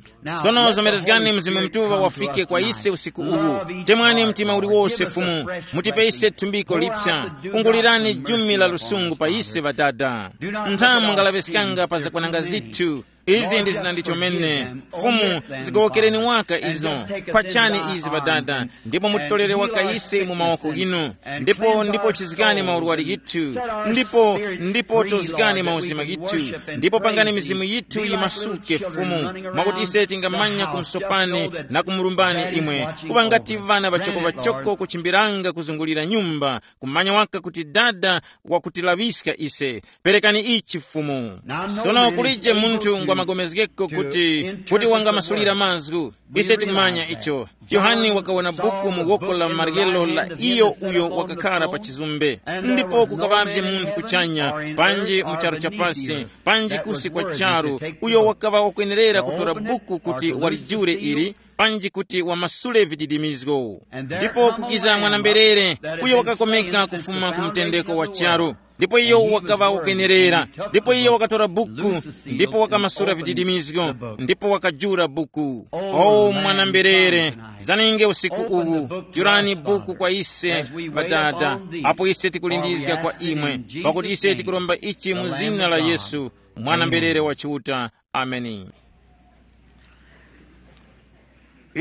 Sono zomerezgani Mzimu Mutuŵa wafike kwa ise usiku uwu. Temwani mtima uliwose Fumu, mutipe ise thumbiko liphya. Ungulirani jumi la lusungu pa ise ŵadada. Nthamu ngalaŵeskanga pa zakwananga zithu. Izi ndi zina ndichomene. Fumu, zigowokereni waka izo. Khwachani izi ŵadada, ndipo mutitolere waka ise mu mawoko ghinu. Ndipo ndipo chizgani maurwari ghithu, ndipo ndipo tozgani mauzima ghithu, ndipo pangani mizimu yithu yimasuke Fumu, mwakuti ise tingamanya kumsopani na kumurumbani imwe, kuŵa ngati ŵana ŵachoko-ŵachoko kuchimbiranga kuzungulira nyumba, kumanya waka kuti Dada wakutilaŵiska ise. Perekani ichi Fumu. Sono kulije munthu ngwamagomezgeko kuti kuti wangamasulira mazgu. Ise tikumanya icho. Yohane wakawona buku mu woko la maryelo la iyo uyo wakakhara pa chizumbe. Ndipo kukaŵavye munthu kuchanya, panji mu charu cha pasi, panji kusi kwa charu, uyo wakaŵa wakwenerera kutora buku kuti walijure ili, panji kuti wamasule vididimizgo. Ndipo kukiza mwana-mberere, uyo wakakomeka kufuma ku mtendeko wa charu. Ndipo iyo wakaŵa wakwenerera. Ndipo iyo wakatora buku, ndipo wakamasula vididimizgo, ndipo wakajula buku. O mwana-mberere, zaninge usiku uwu, julani buku kwa ise, ŵadada, apo ise tikulindizga kwa imwe, pakuti ise tikuromba ichi mu zina la Yesu, mwana-mberere wa Chiuta. Ameni.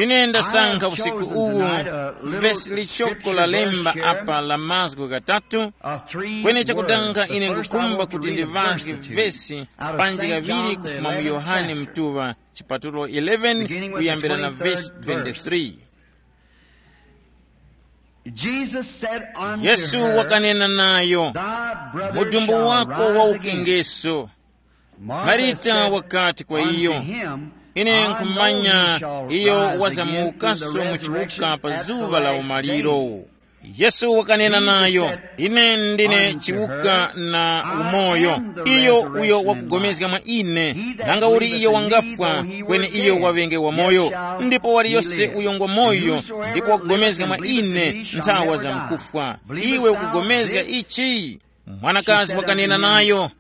Ine ndasankha usiku uwu vesi lichoko lalemba apa la mazgu ghatatu, kweni chakudanga ine ngukhumba kuti ndiŵazge vesi panji kaŵiri kufuma mu Yohane mtuŵa chipatulo eleven kuyambira na vesi twenty-three. Jesus said unto Yesu her, wakanena nayo, "Thy brother mudumbu shall wako rise wa again." Ukengeso. Martha Marita said wakati kwa unto iyo, him, "Ine I know nkhumanya he shall iyo rise again in the wazamukaso mu chiwuka resurrection pa at the zuwa la last umaliro." Day. Yesu wakanena nayo, "Ine ndine chiwuka na umoyo. Iyo uyo wakugomezga mwa ine, nanga uli iyo wangafwa, kweni iyo waŵenge wamoyo. Ndipo waliyose uyo ngwa moyo, ndipo wakugomezga mwa ine nthawa za mkufwa. Iwe ukugomezga ichi?" Mwanakazi wakanena nayo,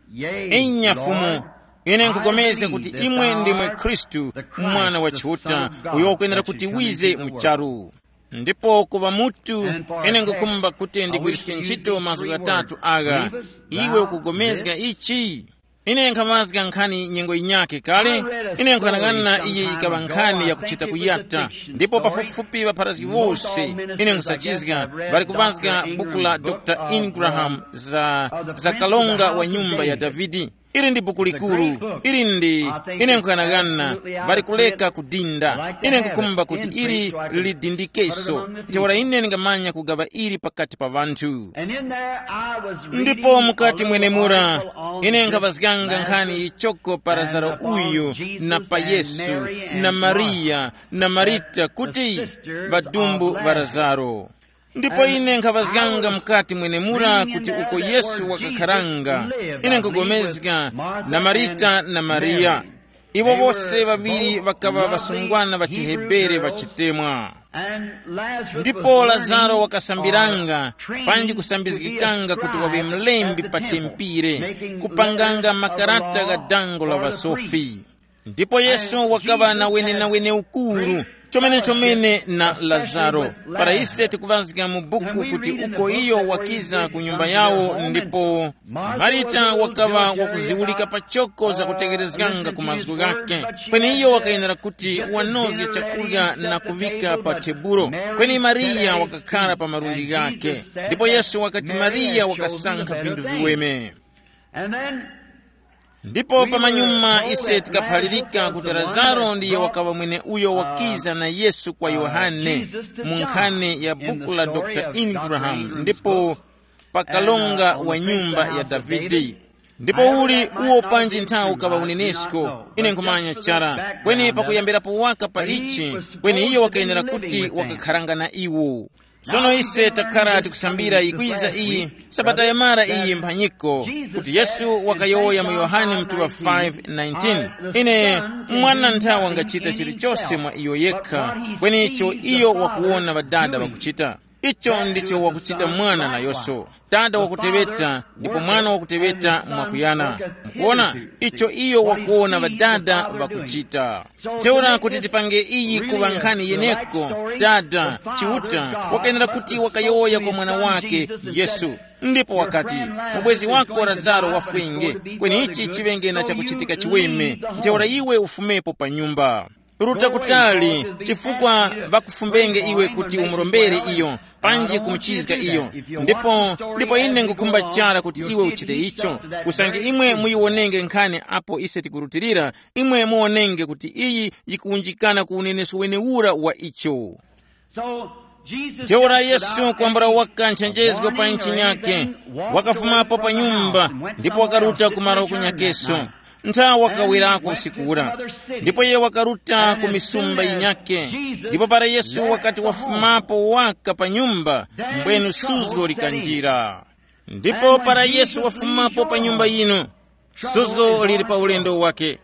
"Inya Fumu, ine nkupulikana kuti imwe ndimwe Khristu, Mwana wa Chiuta, uyo wakwenera kuti wize mu charu. Ndipo kuŵa mutu, ine ngukhumba kuti ndigwiriske ntchito mazgu ghatatu agha. Iwe ukupulikana ichi?" Ine nkhaŵazga nkhani nyengo yinyakhe kale. Ine nkhanang'ana iyi yikaŵa nkhani yakuchita kuyata, ndipo pafupifupi ŵapharazgi wose ine nkhusachizga ŵali kuŵazga buku la dr Ingraham za, za kalonga wa nyumba ya Davide. Ili ndi buku likuru. Ili ndi, ine nkhanang'ana, ŵali kuleka kudinda. Ine nkukhumba kuti ili lidindikeso. Ntheura ine ndingamanya kugaŵa ili pakati pa ŵanthu. Ndipo mukati mwenemura ine nkhaŵazganga nkhani yichoko pa Lazaro uyu, na pa Yesu, na Mariya, na Marita, kuti ŵadumbu ŵa Lazaro. Ndipo ine nkhaŵazganga mukati mwenemura kuti uko Yesu wakakharanga, ine nkugomezga na Marita na Mariya. Iwo wose ŵaŵiri ŵakaŵa ŵasungwana ŵa chiHebere ŵa chitemwa. Ndipo Lazaro wakasambiranga, panji kusambizgikanga kuti waŵe mlembi pa tempire, kupanganga makarata gha dango la ŵasofi. Ndipo Yesu wakaŵa na wenenawene ukuru, chomene chomene na Lazaro. Para ise tikuŵazga mu buku kuti uko iyo wakiza ku nyumba yawo, ndipo Marita wakaŵa wakuziwulika pachoko zakutekerezganga ku mazgu ghakhe, kweni iyo wakayenera kuti wanozge chakurya na kuŵika pa tebulo, kweni Mariya wakakhara pa malundi ghakhe. Ndipo Yesu wakati Mariya wakasankha vinthu viweme. Ndipo pamanyuma ise tikaphalirika kuti Lazaro ndiye wakaŵa mwene uyo wakiza na Yesu kwa Yohane mu nkhani ya buku la dr Ingraham, ndipo pa kalonga wa nyumba ya Davide. Ndipo uli uwo panji nthawi ukaŵa unenesko, ine nkhumanya chara, kweni pakuyambirapo waka pa ichi, kweni iyo wakayenera kuti wakakharanga na iwo. Sono ise takhala tikusambira yikwiza iyi sabata yamara iyi mphanyiko, kuti Yesu wakayowoya mu Yohane mtuŵa five nineteen, ine mwana nthawi wangachita chilichose mwa iyo yekha, kweni icho iyo wakuwona ŵadada ŵakuchita, icho ndicho wakuchita mwana nayonso. Dada wakuteŵeta ndipo mwana wakuteŵeta mwakuyana. Mukuona, icho iyo wakuwona ŵadada ŵakuchita. Ntheura kuti tipange iyi kuŵa nkhani yeneko, dada Chiuta wakayenera kuti wakayowoya kwa mwana wake Yesu, ndipo wakati, mubwezi wako Lazaro wafwenge, kweni ichi chiŵenge na chakuchitika chiweme. Ntheura iwe ufumepo pa nyumba. Ruta kutali, chifukwa ŵakufumbenge iwe kuti umurombere iyo, panji kumuchizga iyo. Ndipo ndipo ine ngukhumba chara kuti iwe uchite icho. Usange imwe muyiwonenge nkhani apo ise tikurutilira, imwe muwonenge kuti iyi yikuwunjikana ku unenesko wenewura wa icho. Ntheura Yesu kwambula waka nchenjezgo pa ntchi nyakhe, wakafumapo pa nyumba ndipo wakaruta ku malo kunyakeso. Nthawi wakawerako usiku ura, ndipo iye wakaruta ku misumba yinyakhe. Ndipo para Yesu wakati wafumapo waka pa nyumba, mbwenu suzgo likanjira. Ndipo para Yesu wafumapo pa nyumba yinu, suzgo lili pa ulendo wake.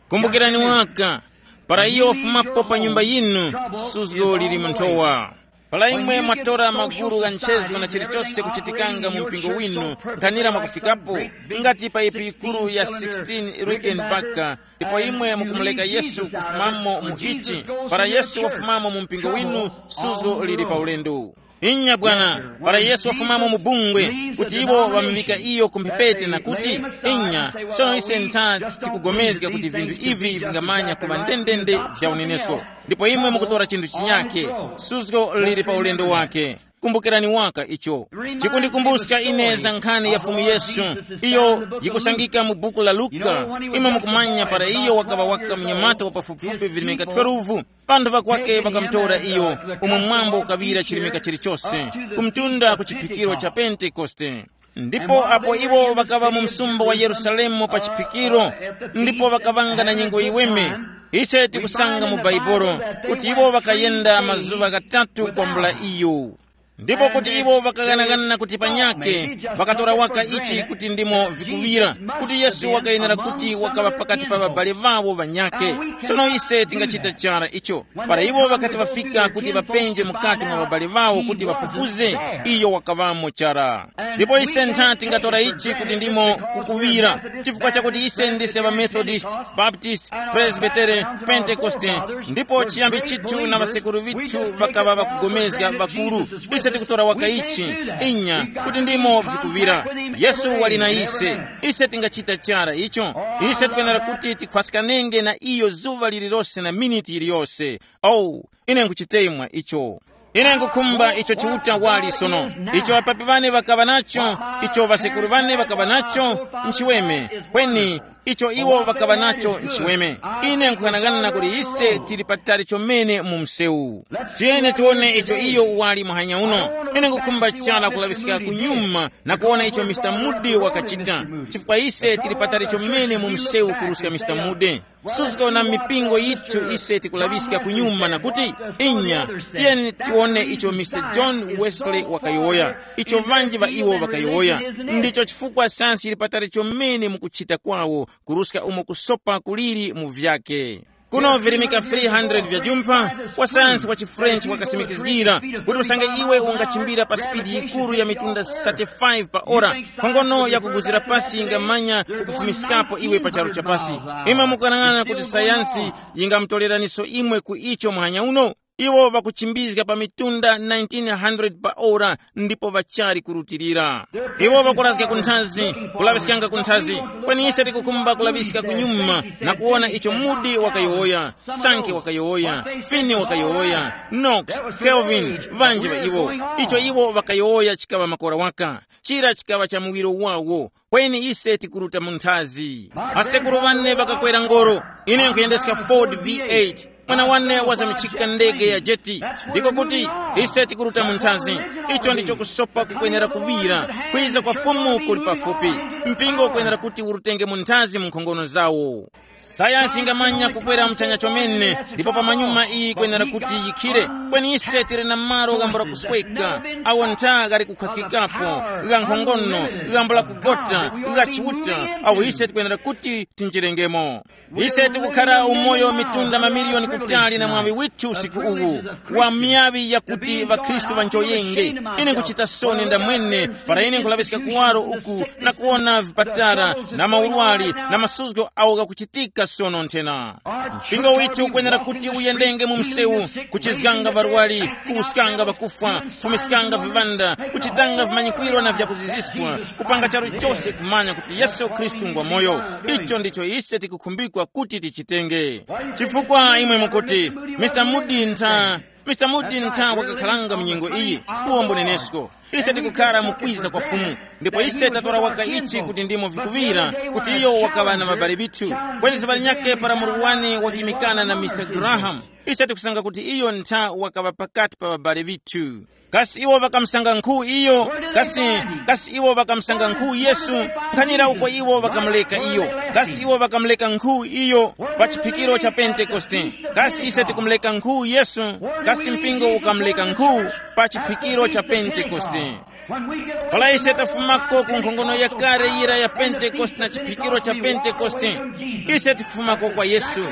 Kumbukirani waka, para iyo wafumapo pa nyumba yinu, suzgo lili mu nthowa. Para imwe mwatora magulu gha nchezo na chilichose kuchitikanga mu mpingo winu, nkhanira mwakufikapo, ngati pa ipi yikuru ya sixteen Rickenbacker, ndipo imwe mukumuleka Yesu kufumamo mu ichi, para Yesu wafumamo mu mpingo winu, suzgo lili pa ulendo. Inya bwana, para Yesu wafumamo mu bungwe, kuti iwo ŵamuŵika iyo ku mphepete na kuti, inya, sono ise ntha tikugomezga kuti vinthu ivi vingamanya kuŵa ndendende vya unenesko. Ndipo imwe mukutora chinthu chinyake, suzgo lili pa ulendo wake. Kumbukirani waka icho. Chikundikumbuska ine za nkhani ya Fumu Yesu, iyo yikusangika mu buku la Luka. Imwe mukumanya para iyo wakaŵa waka mnyamata wa pafupifupi virimika twelve, ŵanthu ŵakwake ŵakamutora iyo, umo mwambo ukaŵira chirimika chilichose, ku mtunda ku chiphikiro cha Pentekoste. Ndipo apo iwo ŵakaŵa mu msumba wa Yerusalemu pa chiphikiro, ndipo ŵakaŵanga na nyengo yiweme, ise tikusanga mu Baibolo kuti iwo ŵakayenda mazuŵa ghatatu kwambula iyo. Ndipo kuti iwo ŵakaghanagana kuti panyake, ŵakatora waka ichi kuti ndimo vikuŵira, kuti Yesu wakayenera kuti wakaŵa pakati pa ŵabale ŵawo ŵanyake. Sono ise tingachita chara icho, para iwo ŵakati ŵafika kuti ŵapenje mukati mwa ŵabale ŵawo kuti ŵafufuze, iyo wakaŵamo chara. Ndipo ise ntha tingatora ichi kuti ndimo kukuŵira, chifukwa chakuti ise ndise ŵamethodist, baptist, presbytere, pentekoste, ndipo chiyambi chithu na ŵasekuru vithu ŵakaŵa ŵakugomezga ŵakuru. Ise tikutora waka ichi, inya, kuti ndimo vikuŵira. Yesu wali na ise. Ise tingachita chara icho. Ise tikwenera kuti tikhwaskanenge na iyo zuŵa lililose na miniti yiliyose. Oh, ine nkuchitemwa icho. Ine nkukhumba icho Chiuta wali sono, icho ŵapapi ŵane ŵakaŵa nacho, icho ŵasekuru ŵane ŵakaŵa nacho, nchiweme. Kweni icho iwo ŵakaŵa nacho nchiweme. Ine nkughanagana kuti ise tili patali chomene mu msewu. Tiyeni tiwone icho iyo wali muhanya uno. Ine nkukhumba chara kulaŵiska kunyuma na kuwona icho Mr Moody wakachita, chifukwa ise tili patali chomene mu msewu kuruska Mr Moody. Suzgo na mipingo yithu ise tikulaŵiska kunyuma na kuti, inya, tiyeni tiwone icho Mr John Wesley wakayowoya, icho ŵanji ŵa iwo ŵakayowoya. Ndicho chifukwa sayansi yili patali chomene mu kuchita kwawo, kuruska umo kusopa kuliri mu vyake. Kuno virimika three hundred vya jumpha, wasayansi wa chiFrench wakasimikizgira kuti usange iwe ungachimbira pa spidi yikuru ya mitunda thirty-five pa ora, nkhongono yakuguzira pasi ingamanya kukufumiskapo iwe pa charu cha pasi. Imwe mukanang'ana kuti sayansi yingamutoreraniso imwe ku icho muhanya uno? Iwo ŵakuchimbizga pa mitunda nineteen hundred pa ora, ndipo ŵachali kurutilira. Iwo ŵakurazga ku nthazi, kulaŵiskanga ku nthazi. Kweni ise tikukhumba kulaŵiska kunyuma na kuwona icho Moody wakayowoya, Sankey wakayowoya, Finney wakayowoya, Knox, Kelvin, ŵanji ŵa iwo. Icho iwo ŵakayowoya chikaŵa makora waka. Chira chikaŵa cha muwiro wawo. Kweni ise tikuruta mu nthazi. Asekuru ŵane ŵakakwera ngoro. Ine nkhuyendeska Ford V eight. Mwana wane wazamitchika ndege ya jeti. Ndiko kuti ise tikuruta mu nthazi. Icho ndicho kusopa kukwenera kuŵira. Kwiza kwa Fumu kuli pafupi. Mpingo ukwenera kuti urutenge mu nthazi mu nkhongono zawo. Sayansi ingamanya kukwera muchanya chomene, ndipo pamanyuma iyi ikwenera kuti yikhire. Kweni ise tili na malo ghambula kusweka, awo ntha ghali kukhwaskikapo, gha nkhongono, ghambula kugota, gha Chiuta, awo ise tikwenera kuti tinjirengemo. Ise tikukhara umoyo mitunda mamiliyoni kutali na mwaŵi withu usiku uwu, wa miyaŵi yakuti ŵakhristu ŵanjoyenge. Ine nkuchita soni ndamwene para ine nkulaŵiska kuwaro uku na kuwona vipatara na maurwari na masuzgo awo ghakuchitika sono nthena. Mpingo withu ukwenera kuti uyendenge mu msewu, kuchizganga ŵarwari, kuwuskanga ŵakufwa, kufumiskanga viŵanda, kuchitanga vimanyikwiro na vyakuziziskwa, kupanga charu chose kumanya kuti Yesu Khristu ngwa moyo. Icho ndicho ise tikukhumbikwa kuti tichitenge. Chifukwa imwe mukuti, Mr Moody ntha, Mr Moody ntha wakakhalanga mu nyengo iyi, uwo mbunenesko. Ise tikukhara mu kwiza kwa Fumu. Ndipo ise tatora waka ichi kuti ndimo vikuŵira, kuti iyo wakaŵa na ŵabale ŵithu. Kweni zuŵa linyakhe para muru wane wakimikana na Mr Graham, ise tikusanga kuti iyo ntha wakaŵa pakati pa ŵabale ŵithu. Kasi iwo ŵakamusanga nkhu iyo? Kasi, kasi iwo ŵakamusanga nkhu Yesu? Nkhanira uko iwo ŵakamuleka iyo. Kasi iwo ŵakamuleka nkhu iyo pa chiphikiro cha Pentekoste? Kasi ise tikumuleka nkhu Yesu? Kasi mpingo ukamuleka nkhu pa chiphikiro cha Pentekoste? Para ise tafumako ku nkhongono yakale yira ya Pentekoste na chiphikiro cha Pentekoste, ise tikufumako kwa Yesu.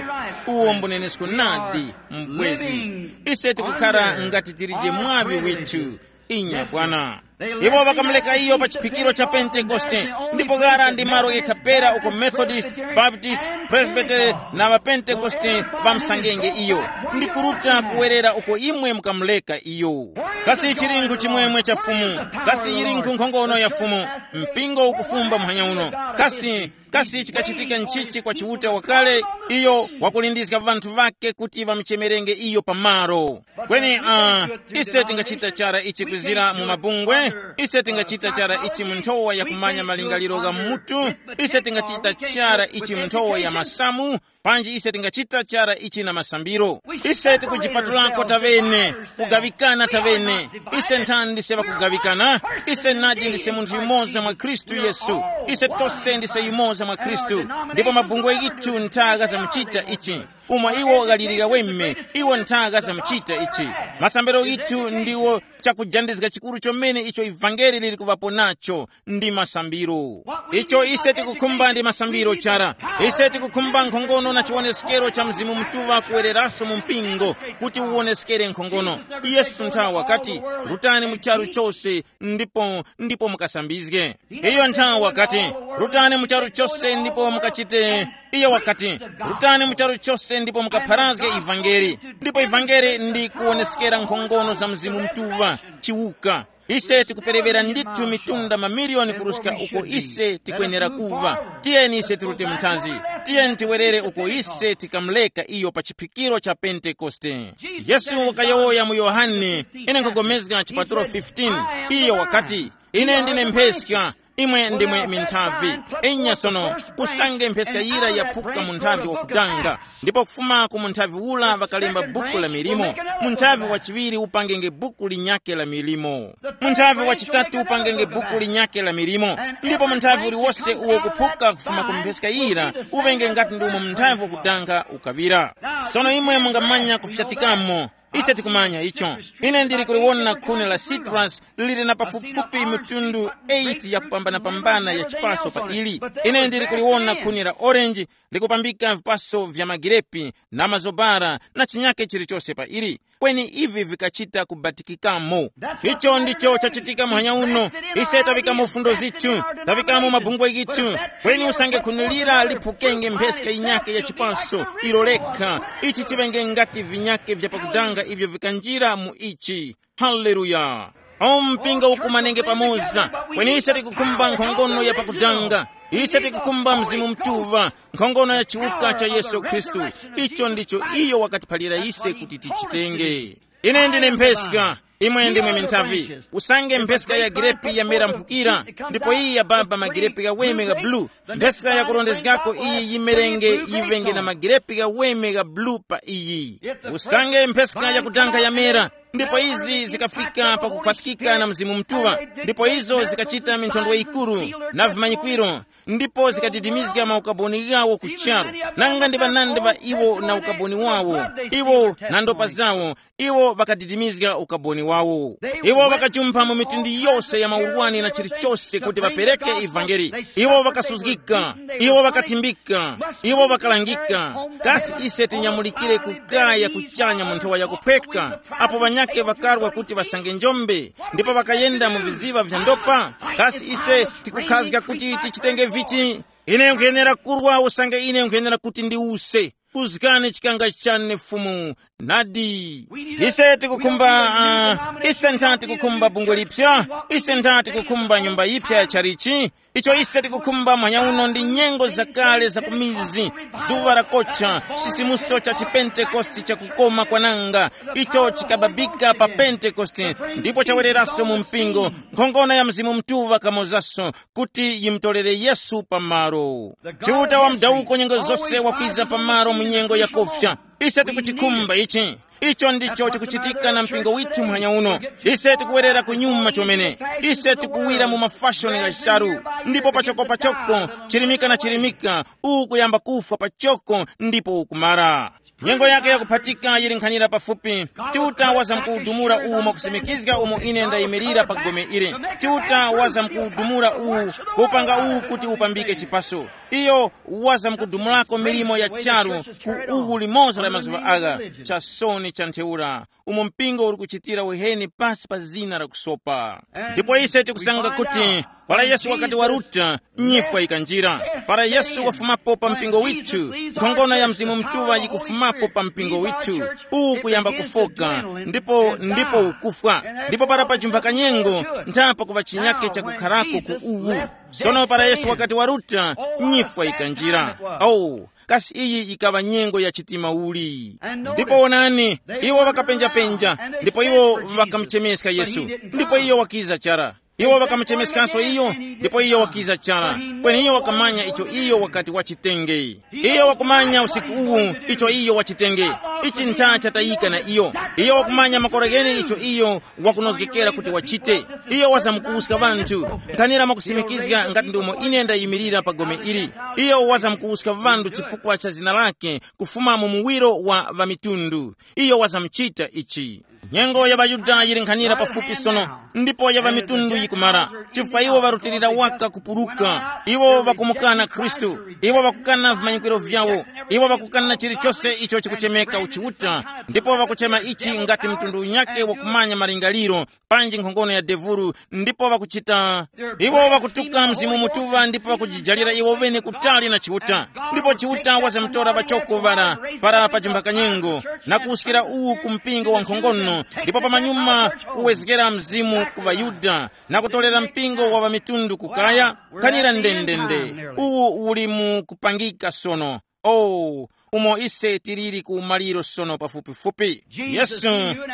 Uwo mbunenesko nadi, mubwezi. Ise tikukhara ngati tilije mwaŵi withu. Inya bwana. Iwo ŵakamuleka iyo pa chiphikiro cha Pentekoste, ndipo ghara ndi malo ghekha pera uko Methodist, Baptist, Presbytery na ŵaPentekoste ŵamsangenge iyo, ndi kuruta kuwerera uko imwe mukamuleka iyo. Kasi chili nkhu chimwemwe cha Fumu? Kasi yili nkhu nkhongono ya Fumu? Mpingo ukufumba muhanya uno. Kasi, kasi chikachitika nchichi kwa Chiuta wakale? Iyo wakulindizga ŵanthu ŵake kuti ŵamuchemerenge iyo pamaro. Kweni, uh, ise tingachita chara ichi kwizira mu mabungwe? Ise tingachita chara ichi mu nthowa ya kumanya malingaliro gha mutu? Ise tingachita chara ichi mu nthowa ya masamu? Panji ise tingachita chara ichi na masambiro? Ise tikujipatulako tavene, kugaŵikana tavene. Ise nthani ndise ŵakugaŵikana? Ise nadi ndise munthu yumoza mwa Khristu Yesu. Ise tose ndise yumoza mwa Khristu. Ndipo mabungwe yitu ntha ghazamuchita ichi. Umo iwo ghaliri ghaweme, iwo ntha ghazamuchita ichi. Masambiro yitu ndiwo chakujandizga chikuru chomene icho ivangeli lili kuŵapo nacho, ndi masambiro. Icho ise tikukhumba ndi masambiro chara. Ise tikukhumba nkhongono na chiwoneskero cha Mzimu Mutuŵa kuwereraso mu mpingo, kuti uwoneskere nkhongono. Yesu nthawi wakati, rutani mu charu chose, ndipo, ndipo mukasambizge. Iyo nthawi wakati, rutani mu charu chose ndipo mukachite. Iyo wakati, rutani mu charu chose ndipo mukapharazge ivangeli. Ndipo ivangeli ndi kuwoneskera nkhongono za Mzimu Mutuŵa, chiwuka. Ise tikuperewera ndithu mitunda mamiliyoni kuruska uko ise tikwenera kuva. Tiyeni ise tirute mnthazi. Tiyeni tiwerere uko ise tikamuleka iyo pa chiphikiro cha Pentekoste. Yesu wakayowoya mu Yohane, ine nkhogomezga chipatulo fifteen. Iyo wakati, ine ndine mpheska, imwe ndimwe minthavi. Inya sono, usange mpheska yira yaphuka mu nthavi wakudanga, ndipo kufuma ku munthavi ula ŵakalemba buku la milimo, munthavi wachiŵiri upangenge buku linyakhe la milimo, munthavi wachitatu upangenge buku linyakhe la milimo, ndipo munthavi uliwose uwo kuphuka kufuma ku mpheska yira uŵenge ngati ndi umo munthavi wakudanga ukaŵira. Sono imwe mungamanya kufyatikamo. Ise tikumanya icho. Ine ndili kuliwona khuni la citrus lili na pafupifupi mitundu eight yakupambanapambana ya chipaso pa ili. Ine ndili kuliwona khuni la orange likupambika vipaso vya magirepi na mazobara na chinyake chilichose pa ili. Kweni ivi vikachita kubatikikamo. Icho ndicho chachitika muhanya uno. Ise tavikamo fundo zithu, tavikamo mabungwe yithu. Kweni usange khuni lira liphukenge mpheska yinyake ya chipaso ilo lekha, ichi chiŵenge ngati vinyake vya pakudanga ivyo vikanjira mu ichi. Haleluya! O mpingo ukumanenge pamoza, kweni ise tikukhumba nkhongono ya pakudanga. Ise tikukhumba Mzimu Mutuŵa, nkhongono ya chiwuka cha Yesu Khristu. Icho ndicho iyo wakatiphalira ise kuti tichitenge. Ine ndine mpheska, imwe ndimwe minthavi. Usange mpheska ya girepi yamera mphukira, ndipo iyi yababa magirepi ghaweme gha bulu, mpheska yakurondezgako iyi yimerenge, yiŵenge na magirepi ghaweme gha bulu pa iyi. Usange mpheska yakudanga yamera, ndipo izi zikafika pakukhwasikika na Mzimu Mutuŵa, ndipo izo zikachita minthondwe yikuru na vimanyikwiro, ndipo zikadidimizga maukaboni ghawo ku charu. Nanga ndi ŵanandi ŵa iwo na ukaboni wawo, iwo na ndopa zawo, iwo ŵakadidimizga ukaboni wawo. Iwo ŵakajumpha mu mitundu yose ya maurwani na chilichose kuti ŵapereke ivangeli. Iwo ŵakasuzgika, iwo ŵakathimbika, iwo ŵakalangika. Kasi ise tinyamulikire kukaya kuchanya mu nthowa yakuphweka, apo ŵanyakhe ŵakarwa kuti ŵasange njombe, ndipo ŵakayenda mu viziŵa vya ndopa? Kasi ise tikukhazga kuti tichitenge vichi? Ine nkhuyenera kurwa usange ine nkhuyenera kuti ndiwuse. Uzgani chikanga chane Fumu. Nadi. Ise tikukhumba, uh, ise ntha tikukhumba bungwe lipya. Ise ntha tikukhumba nyumba yipya ya chalichi. Icho ise tikukhumba mwanya uno ndi nyengo zakale za kumizi, zuŵa lakocha, chisimuso cha chipentekoste chakukoma kwananga, icho chikababika pa Pentekoste, ndipo chawereraso mu mpingo. Nkhongono ya Mzimu Mutuŵa kamozaso kuti yimutolere Yesu pamalo. Chiuta wa mudawuko nyengo zose wakwiza pamalo mu nyengo yakofya. Ise tikuchikhumba ichi. Icho ndicho chikuchitika na mpingo withu muhanya uno. Ise tikuwerera kunyuma chomene. Ise tikuwira mu mafashoni gha charu, ndipo pachoko pachoko, chirimika na chirimika, uwu kuyamba kufwa pachoko ndipo ukumara. Nyengo yake yakuphatika yili nkhanira pafupi. Chiuta wazamkuwudumula uwu mwakusimikizga umo ine ndayimirira pa gome ili. Chiuta wazamkuwudumula uwu, kupanga uwu kuti upambike chipaso. Iyo wazamkudumulako milimo ya charu ku uwu limoza la mazuŵa agha. Chasoni cha ntheura, umo mpingo uli kuchitira uheni pasi pa zina la kusopa. Ndipo ise tikusanga kuti Para Yesu wakati waruta, nyifwa ikanjira. Para Yesu wafumapo pa mpingo withu, nkhongono ya Mzimu Mutuŵa yikufumapo pa mpingo withu. Uwu kuyamba kufoka, ndipo ndipo ukufwa. Ndipo para pajumba kanyengo, nthapo kuŵa chinyake chakukharako ku uwu. Sono para Yesu wakati waruta, nyifwa ikanjira. Oh, kasi iyi yikaŵa nyengo ya chitima uli? Ndipo wonani, iwo ŵakapenjapenja, ndipo iwo ŵakamuchemeska Yesu, ndipo iyo wakiza chara. Iwo ŵakamuchemeskanso iyo, ndipo iyo wakiza chara. Kweni iyo wakamanya icho iyo wakati wachitenge. Iyo wakumanya usiku uwu icho iyo wachitenge. Ichi ncha chatayika na iyo. Iyo wakumanya makora ghene icho iyo wakunozgekera kuti wachite. Iyo wazamkuwuska ŵanthu, nkhanira mwakusimikizga ngati ndi umo ine ndayimirira pa gome ili. Iyo wazamkuwuska ŵanthu chifukwa cha zina lake kufuma mu muwiro wa ŵamitundu. Iyo wazamchita ichi. Nyengo ya ŵaYuda yili nkhanira pafupi sono, ndipo ya ŵamitundu yikumara, chifukwa iwo ŵarutilira waka kupuruka. Iwo ŵakumukana Khristu. Iwo ŵakukana vimanyikwiro vyawo. Iwo ŵakukana chilichose icho chikuchemeka uchiuta, ndipo ŵakuchema ichi ngati mtundu unyakhe wakumanya malingaliro, panji nkhongono ya devuru, ndipo ŵakuchita. Iwo ŵakutuka Mzimu Mutuŵa ndipo ŵakujijalira iwo ŵene kutali na Chiuta. Ndipo Chiuta wazamtora ŵachoko ŵara para pa chimbakanyengo, na kuwuskira uwu ku mpingo wa nkhongono, ndipo pamanyuma kuwezgera Mzimu ku ŵaYuda, na kutolera mpingo wa ŵamitundu kukaya. Khanira ndendende, uwu uli mu kupangika sono. Oh, umo ise tiliri ku maliro sono pafupifupi. Yesu,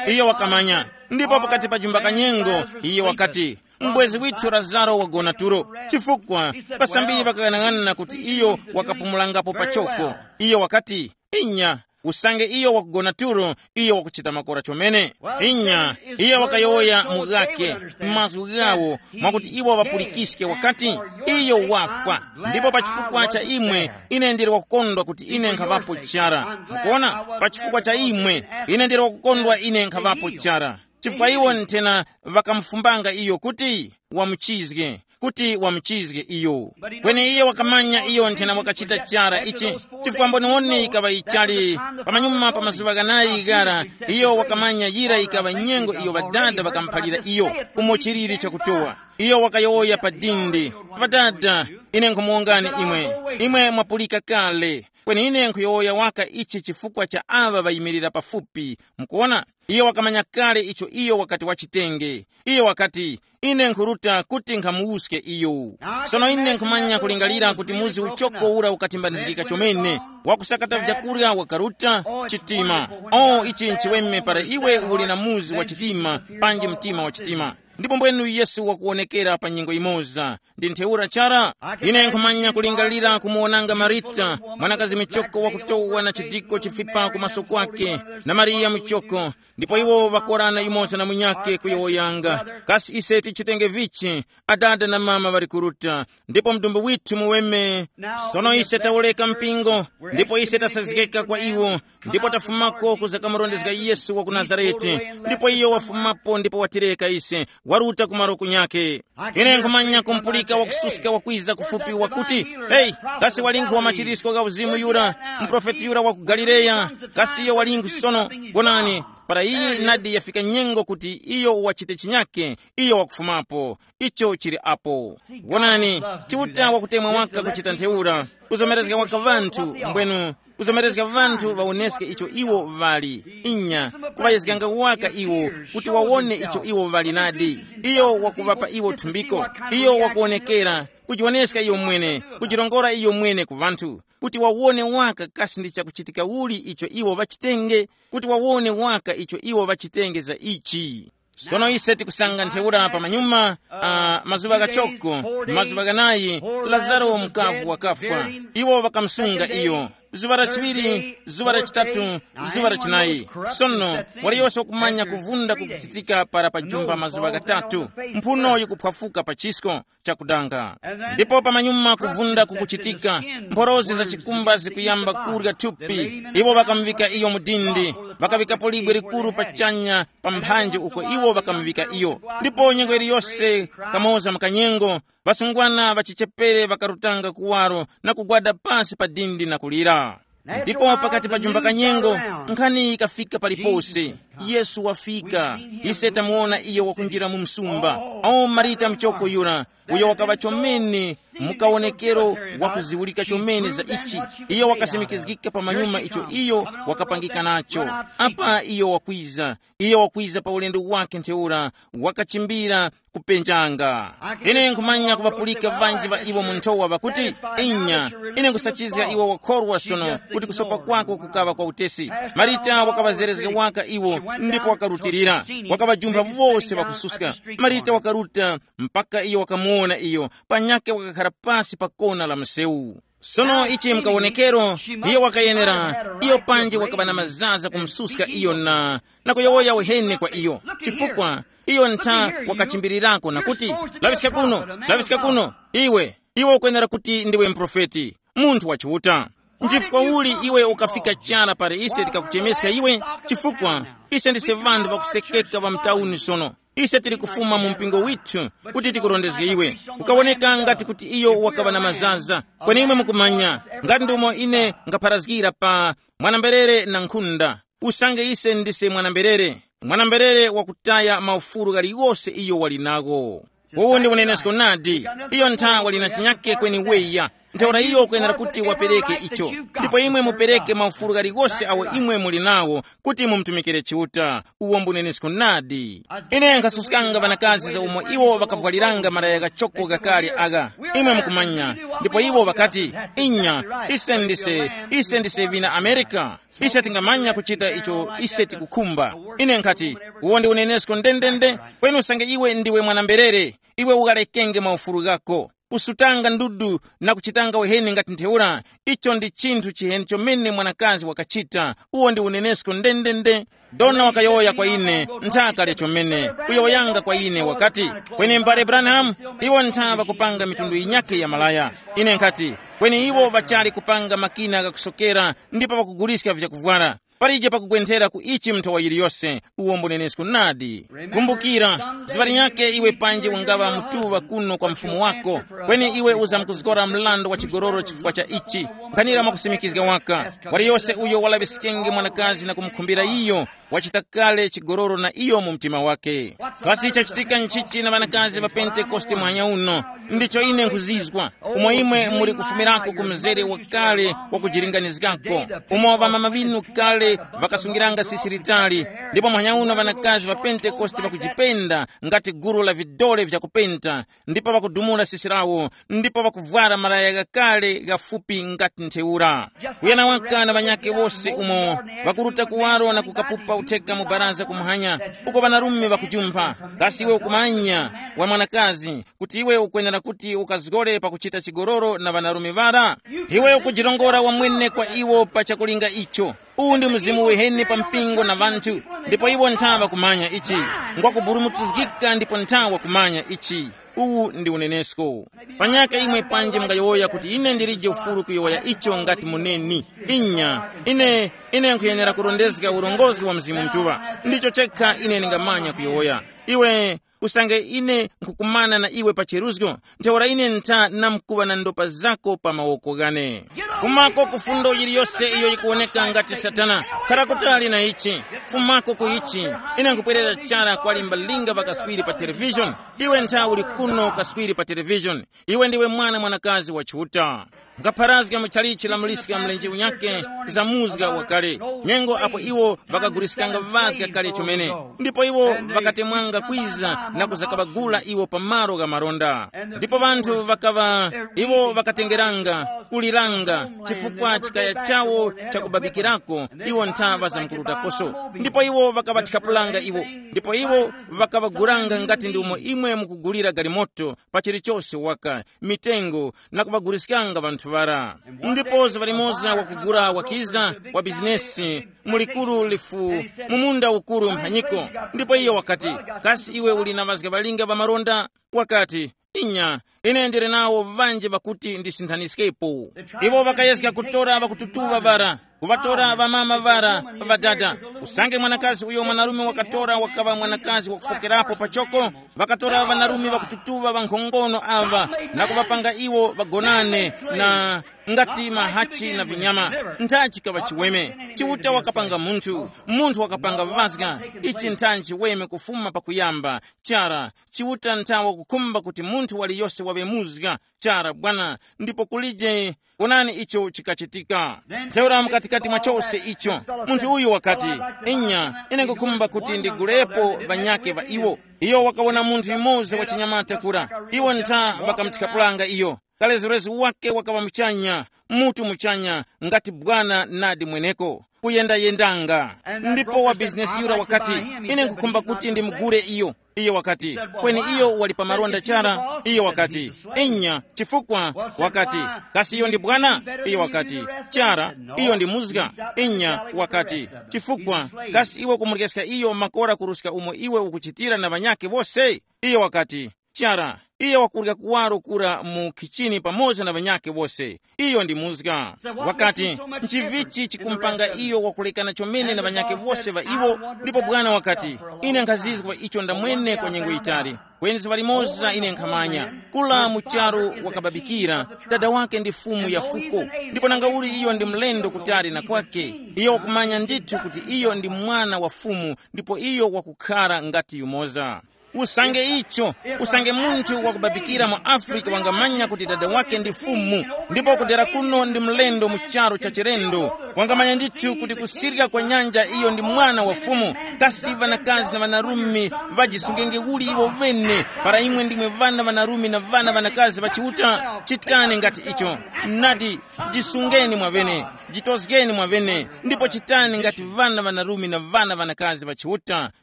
iyo wakamanya. Ndipo pakati pa jumba kanyengo, iyo wakati, mubwezi withu Lazaro wagona tulo. Chifukwa, pasambiri ŵakang'anang'ana kuti iyo wakapumulangapo pachoko. Iyo wakati, inya, usange iyo wakugona tulo, iyo wakuchita makora chomene. Inya, iyo wakayowoya mu ghake, m'mazgu ghawo, mwakuti iwo ŵapulikiske wakati, iyo wafwa. Ndipo pa chifukwa cha imwe, ine ndili wakukondwa kuti ine nkhaŵapo chara. Mukuona, pa chifukwa cha imwe, ine ndili wakukondwa ine nkhaŵapo chara. Chifukwa iwo nthena ŵakamufumbanga iyo kuti wamuchizge, kuti wamuchizge iyo. Kweni iye wakamanya iyo nthena wakachita chara ichi, chifukwa mboniwoni yikaŵa yichali pamanyuma pa mazuŵa ghanayi ghara. Iyo wakamanya yira yikaŵa nyengo iyo ŵadada ŵakamuphalira iyo umo chiliri chakutowa. Iyo wakayowoya pa dindi, ŵadada, ine nkhumuwongani imwe, imwe mwapulika kale. Kweni ine nkhuyowoya waka ichi chifukwa cha aŵa ŵayimirira pafupi. Mukuona, iyo wakamanya kale icho iyo wakati wachitenge. Iyo wakati, ine nkhuruta kuti nkhamuwuske iyo. Sono ine nkhumanya kulingalira kuti muzi uchoko ura ukatimbanizgika chomene, wakusakata vyakurya wakaruta chitima. O, ichi nchiweme para iwe uli na muzi wa chitima, panji mtima wa chitima. Ndipo mbwenu Yesu wakuwonekera pa nyengo imoza, ndi ntheura chara. Ine nkhumanya kulingalira kumuwonanga Marita, mwanakazi michoko wakutowa na chidiko chifipa ku maso kwake, na Mariya michoko, ndipo iwo ŵakorana yumoza na munyakhe kuyowoyanga, kasi ise tichitenge vichi? Adada na mama ŵali kuruta, ndipo mdumbu withu muweme. Sono ise tawureka mpingo, ndipo ise tasazgeka kwa iwo, ndipo tafumako kuza kamurondezga Yesu wa ku Nazarete. Ndipo iyo wafumapo ndipo watireka ise, waruta ku malo kunyakhe. Ine nkhumanya kumpulika wakususka wakwiza kufupi wakuti, heyi, kasi walinghu wa machirisko gha uzimu yura, muprofeti yura wa ku Galileya? Kasi iyo walinghu sono? Gonani, para iyi nadi yafika nyengo kuti iyo wachite chinyake, iyo wakufumapo. Icho chili apo. Wonani, Chiuta wakutemwa waka kuchita ntheura, kuzomerezga waka ŵanthu, mbwenu, kuzomerezga ŵanthu ŵawoneske icho iwo ŵali. Inya, kuŵayezganga waka iwo kuti wawone icho iwo ŵali nadi. Iyo wakuŵapa iwo thumbiko. Iyo wakuwonekera, kujiwoneska iyo mwene, kujirongora iyo mwene ku ŵanthu, kuti wawone waka kasi ndi chakuchitika uli icho iwo ŵachitenge, kuti wawone waka icho iwo ŵachitenge za ichi. Sono ise tikusanga ntheura pamanyuma, uh, mazuŵa ghachoko, mazuŵa ghanayi, Lazaro mukavu wakafwa. Iwo ŵakamusunga iyo. Zuŵa la chiŵiri, zuŵa la chitatu, zuŵa la chinayi. Sono, waliyose wakumanya kuvunda kukuchitika para pa jumba mazuŵa ghatatu. Mphuno yikuphwafuka pa chisko chakudanga. Ndipo pamanyuma kuvunda kukuchitika, mphorozi za chikumba zikuyamba kurya thupi. Iwo ŵakamuŵika iyo mu dindi, ŵakaŵikapo libwe likuru pachanya pa mphanje uko iwo ŵakamuŵika iyo. Ndipo nyengo iliyose, kamoza mu kanyengo, ŵasungwana ŵachichepere ŵakarutanga kuwaro na kugwada pasi pa dindi na kulira. Ndipo pakati pa jumba kanyengo, nkhani yikafika palipose. Yesu wafika. Ise tamuwona iyo wakunjira mu msumba. Awo Marita mchoko yura, uyo wakaŵa chomene mukawonekero wakuziwulika chomene za ichi. Iyo wakasimikizgika pa manyuma icho iyo wakapangika nacho. Apa iyo wakwiza, iyo wakwiza pa ulendo wake ntheura, wakachimbira kupenjanga. Ine nkhumanya kuŵapulika ŵanji ŵa iwo mu nthowa ŵakuti, inya, ine nkhusachizga iwo wakhorwa sono kuti kusopa kwako kukaŵa kwa utesi. Marita wakaŵazerezga waka iwo, ndipo wakarutilira, wakaŵajumpha wose ŵakususka. Marita wakaruta mpaka iyo wakamuwona iyo, panyakhe wakakhara pasi pa kona la msewu. Sono ichi mkawonekero, iyo wakayenera, iyo panji wakaŵa na mazaza kumususka iyo na, na kuyowoya uheni kwa iyo, chifukwa iyo ntha wakachimbirirako na kuti, laŵiska kuno, laŵiska kuno, iwe, iwe ukwenera kuti ndiwe mprofeti, munthu wa Chiuta. Nchifukwa uli iwe ukafika chara pali ise tikakuchemeska iwe? Chifukwa ise ndise ŵanthu ŵakusekeka ŵa mtauni sono. Ise tili kufuma mu mpingo withu kuti tikurondezge iwe. Ukawoneka ngati kuti iyo wakaŵa na mazaza. Kweni imwe mukumanya, ngati ndumo ine ngapharazgira pa mwanamberere na nkhunda. Usange ise ndise mwanamberere, mwanamberere wakutaya maufulu ghaliwose iyo wali nagho. Uwu ndi unenesko nadi. Iyo ntha wali na chinyake kweni weya. Ntheura iyo ukwenera kuti wapereke icho. Ndipo imwe mupereke maufulu ghaliwose awo imwe muli nawo kuti mumutumikire Chiuta. Uwo mbunenesko nadi. Ine nkhasuskanga ŵanakazi za umo iwo ŵakavwaliranga malaya ghachoko ghakale agha. Imwe mukumanya. Ndipo iwo ŵakati, inya, ise ndise, ise ndise vina Amerika. Ise tingamanya kuchita icho ise tikukhumba. Ine nkhati, uwo ndi unenesko ndendende. Kweni usange iwe ndiwe mwanamberere, iwe ukhalekenge maufulu ghako. Kusutanga ndudu na kuchitanga uheni ngati ntheura, icho ndi chinthu chiheni chomene mwanakazi wakachita. Uwo ndi unenesko ndendende. Dona wakayowoya kwa ine, nthaka lya chomene, kuyowoyanga kwa ine wakati, kweni m'bale Branham, iwo ntha ŵakupanga mitundu yinyakhe ya malaya. Ine nkhati, kweni iwo ŵachali kupanga makina ghakusokera ndipo ŵakuguliska vyakuvwara. Palije pakugwenthera ku ichi mnthowa yiliyose. Uwo mbunenesko nadi. Kumbukira, zuŵa linyakhe iwe panji ungaŵa mutuŵa kuno kwa mfumu wako, kweni iwe uzamkuzgora mlando wa chigololo chifukwa cha ichi. Nkhanira mwakusimikizga waka, waliyose uyo walaŵiskenge mwanakazi na kumukhumbira iyo, wachita kale chigololo na iyo mu mtima wake. Kasi chachitika nchichi na ŵanakazi ŵa Pentekoste muhanya uno? Ndicho ine nkhuzizwa. Umo imwe muli kufumirako ku mzere wakale wa kujilinganizgako, umo ŵamama ŵinu kale ŵakasungiranga sisi litali, ndipo muhanya uno ŵanakazi ŵa Pentekoste ŵakujipenda ngati gulu la vidole vyakupenta, ndipo ŵakudumula sisi lawo, ndipo ŵakuvwara malaya ghakale ghafupi ngati ntheura. Kuyana waka na ŵanyakhe wose umo ŵakuruta kuwaro na kukapupa utheka mu baraza kumwanya, uko ŵanarume ŵakujumpha. Kasi iwe ukumanya, wa mwanakazi, kuti iwe ukwenera kuti ukazgore pakuchita chigololo na ŵanarume ŵara? Iwe ukujirongora wamwene kwa iwo pa chakulinga icho. Uwu ndi mzimu wiheni pa mpingo na ŵanthu, ndipo iwo ntha ŵakumanya ichi. Ngwakuburumutizgika ndipo ntha wakumanya ichi. Uwu ndi unenesko. Panyaka imwe panji mungayowoya kuti ine ndilije ufulu kuyowoya icho ngati muneni. Inya, ine, ine nkhuyenera kurondezga urongozgi wa Mzimu Mutuŵa. Ndicho chekha ine ndingamanya kuyowoya. Iwe, usange ine nkhukumana na iwe pa cheruzgo, ntheura ine ntha namkuŵa na ndopa zako pa mawoko ghane. Fumako ku fundo yiliyose iyo yikuwoneka ngati Satana. Khara kutali na ichi. Fumako ku ichi. Ine nkupwerera chara kwa limbalinga ŵakaswiri pa televishoni. Iwe ntha uli kuno kaswiri pa televishoni. Iwe ndiwe mwana mwanakazi wa Chiuta. Nkapharazga mu chalichi la muliska mlenje unyakhe za muzga wakale, nyengo apo iwo ŵakaguliskanga vazga kale chomene, ndipo iwo ŵakatemwanga kwiza na kuzakabagula iwo pa malo gha maronda. Ndipo ŵanthu ŵakaŵa, iwo ŵakatengeranga, kuliranga, chifukwa chikaya chawo chakubabikirako, iwo ntha ŵazamkurutakoso. Ndipo iwo ŵakaŵathikapulanga iwo, ndipo iwo ŵakaŵagulanga ngati ndi umo imwe mukugulira galimoto, pa chilichose waka, mitengo, na kuŵaguliskanga ŵanthu ŵara. Ndipo zuŵa limoza wakugula wakiza wa bizinesi mu likuru lifu, mu munda ukuru mphanyiko. Ndipo iyo wakati, kasi iwe uli na ŵazga ŵalinga ŵa malonda? Wakati, inya, ine ndili nawo ŵanji ŵakuti ndisinthaniskepo. Iwo ŵakayezga kutora ŵakututuŵa ŵara, kuŵatora ŵamama ŵara, ŵadada, Usange mwanakazi uyo mwanarume wakatora wakaŵa mwanakazi wakufokerapo pachoko, ŵakatora ŵanarume ŵakututuŵa ŵankhongono aŵa na kuŵapanga iwo ŵagonane na ngati mahachi na vinyama. Nthachi kaŵa chiweme. Chiuta wakapanga munthu, munthu wakapanga ŵazga. Ichi nthachi chiweme kufuma pakuyamba. Chara, Chiuta nthawe kukhumba kuti munthu waliyose waŵe muzga. Chara bwana. Ndipo kulije, wonani icho chikachitika. Ntheura mukatikati mwa chose icho, munthu uyu wakati, inya, ine nkukhumba kuti ndigulepo ŵanyake ŵa iwo. Iyo wakawona munthu yumoza wa chinyamata kura. Iwo ntha ŵakamuthikapulanga iyo. Kalezorezo wake wakaŵa muchanya, mutu muchanya, ngati bwana nadi mweneko, kuyendayendanga. Ndipo wa bizinesi yura wakati, ine nkukhumba kuti ndimugule iyo. Iyo wakati, kweni iyo wali pa malonda chara. Iyo wakati, inya, chifukwa? Wakati, kasi iyo ndi bwana? Iyo wakati, chara, iyo ndi muzga. Inya wakati, chifukwa? Kasi iwe kumuryeska iyo makora kuruska umo iwe ukuchitira na ŵanyake wose? Iyo wakati, chara, iye wakurya kuwaro kura mu khichini pamoza na ŵanyakhe wose. Iyo ndi muzga. Wakati, nchivichi chikumupanga iyo wakulekana chomene na ŵanyakhe wose ŵa iwo? Ndipo bwana wakati, ine nkhazizwa icho ndamwene kwa nyengo yitali. Kweni zuŵa limoza ine nkhamanya, kula mu charu wakababikira, dada wake ndi fumu ya fuko. Ndipo nanga uli iyo ndi mlendo kutali na kwake, iyo wakumanya ndithu kuti iyo ndi mwana wa fumu, ndipo iyo wakukhara ngati yumoza. Usange icho, usange munthu wakubabikira mu Afrika wangamanya kuti dada wake ndi fumu, ndipo kudera kuno ndi mlendo mu charu cha chilendo, wangamanya ndithu kuti kusirika kwa nyanja iyo ndi mwana wa fumu. Kasi ŵanakazi na ŵanarume ŵajisungenge uli iwo ŵene, para imwe ndimwe ŵana ŵanarume na ŵana ŵanakazi ŵa Chiuta? Chitani ngati icho. Nadi, jisungeni mwaŵene, jitozgeni mwaŵene, ndipo chitani ngati ŵana ŵanarume na ŵana ŵanakazi ŵa Chiuta.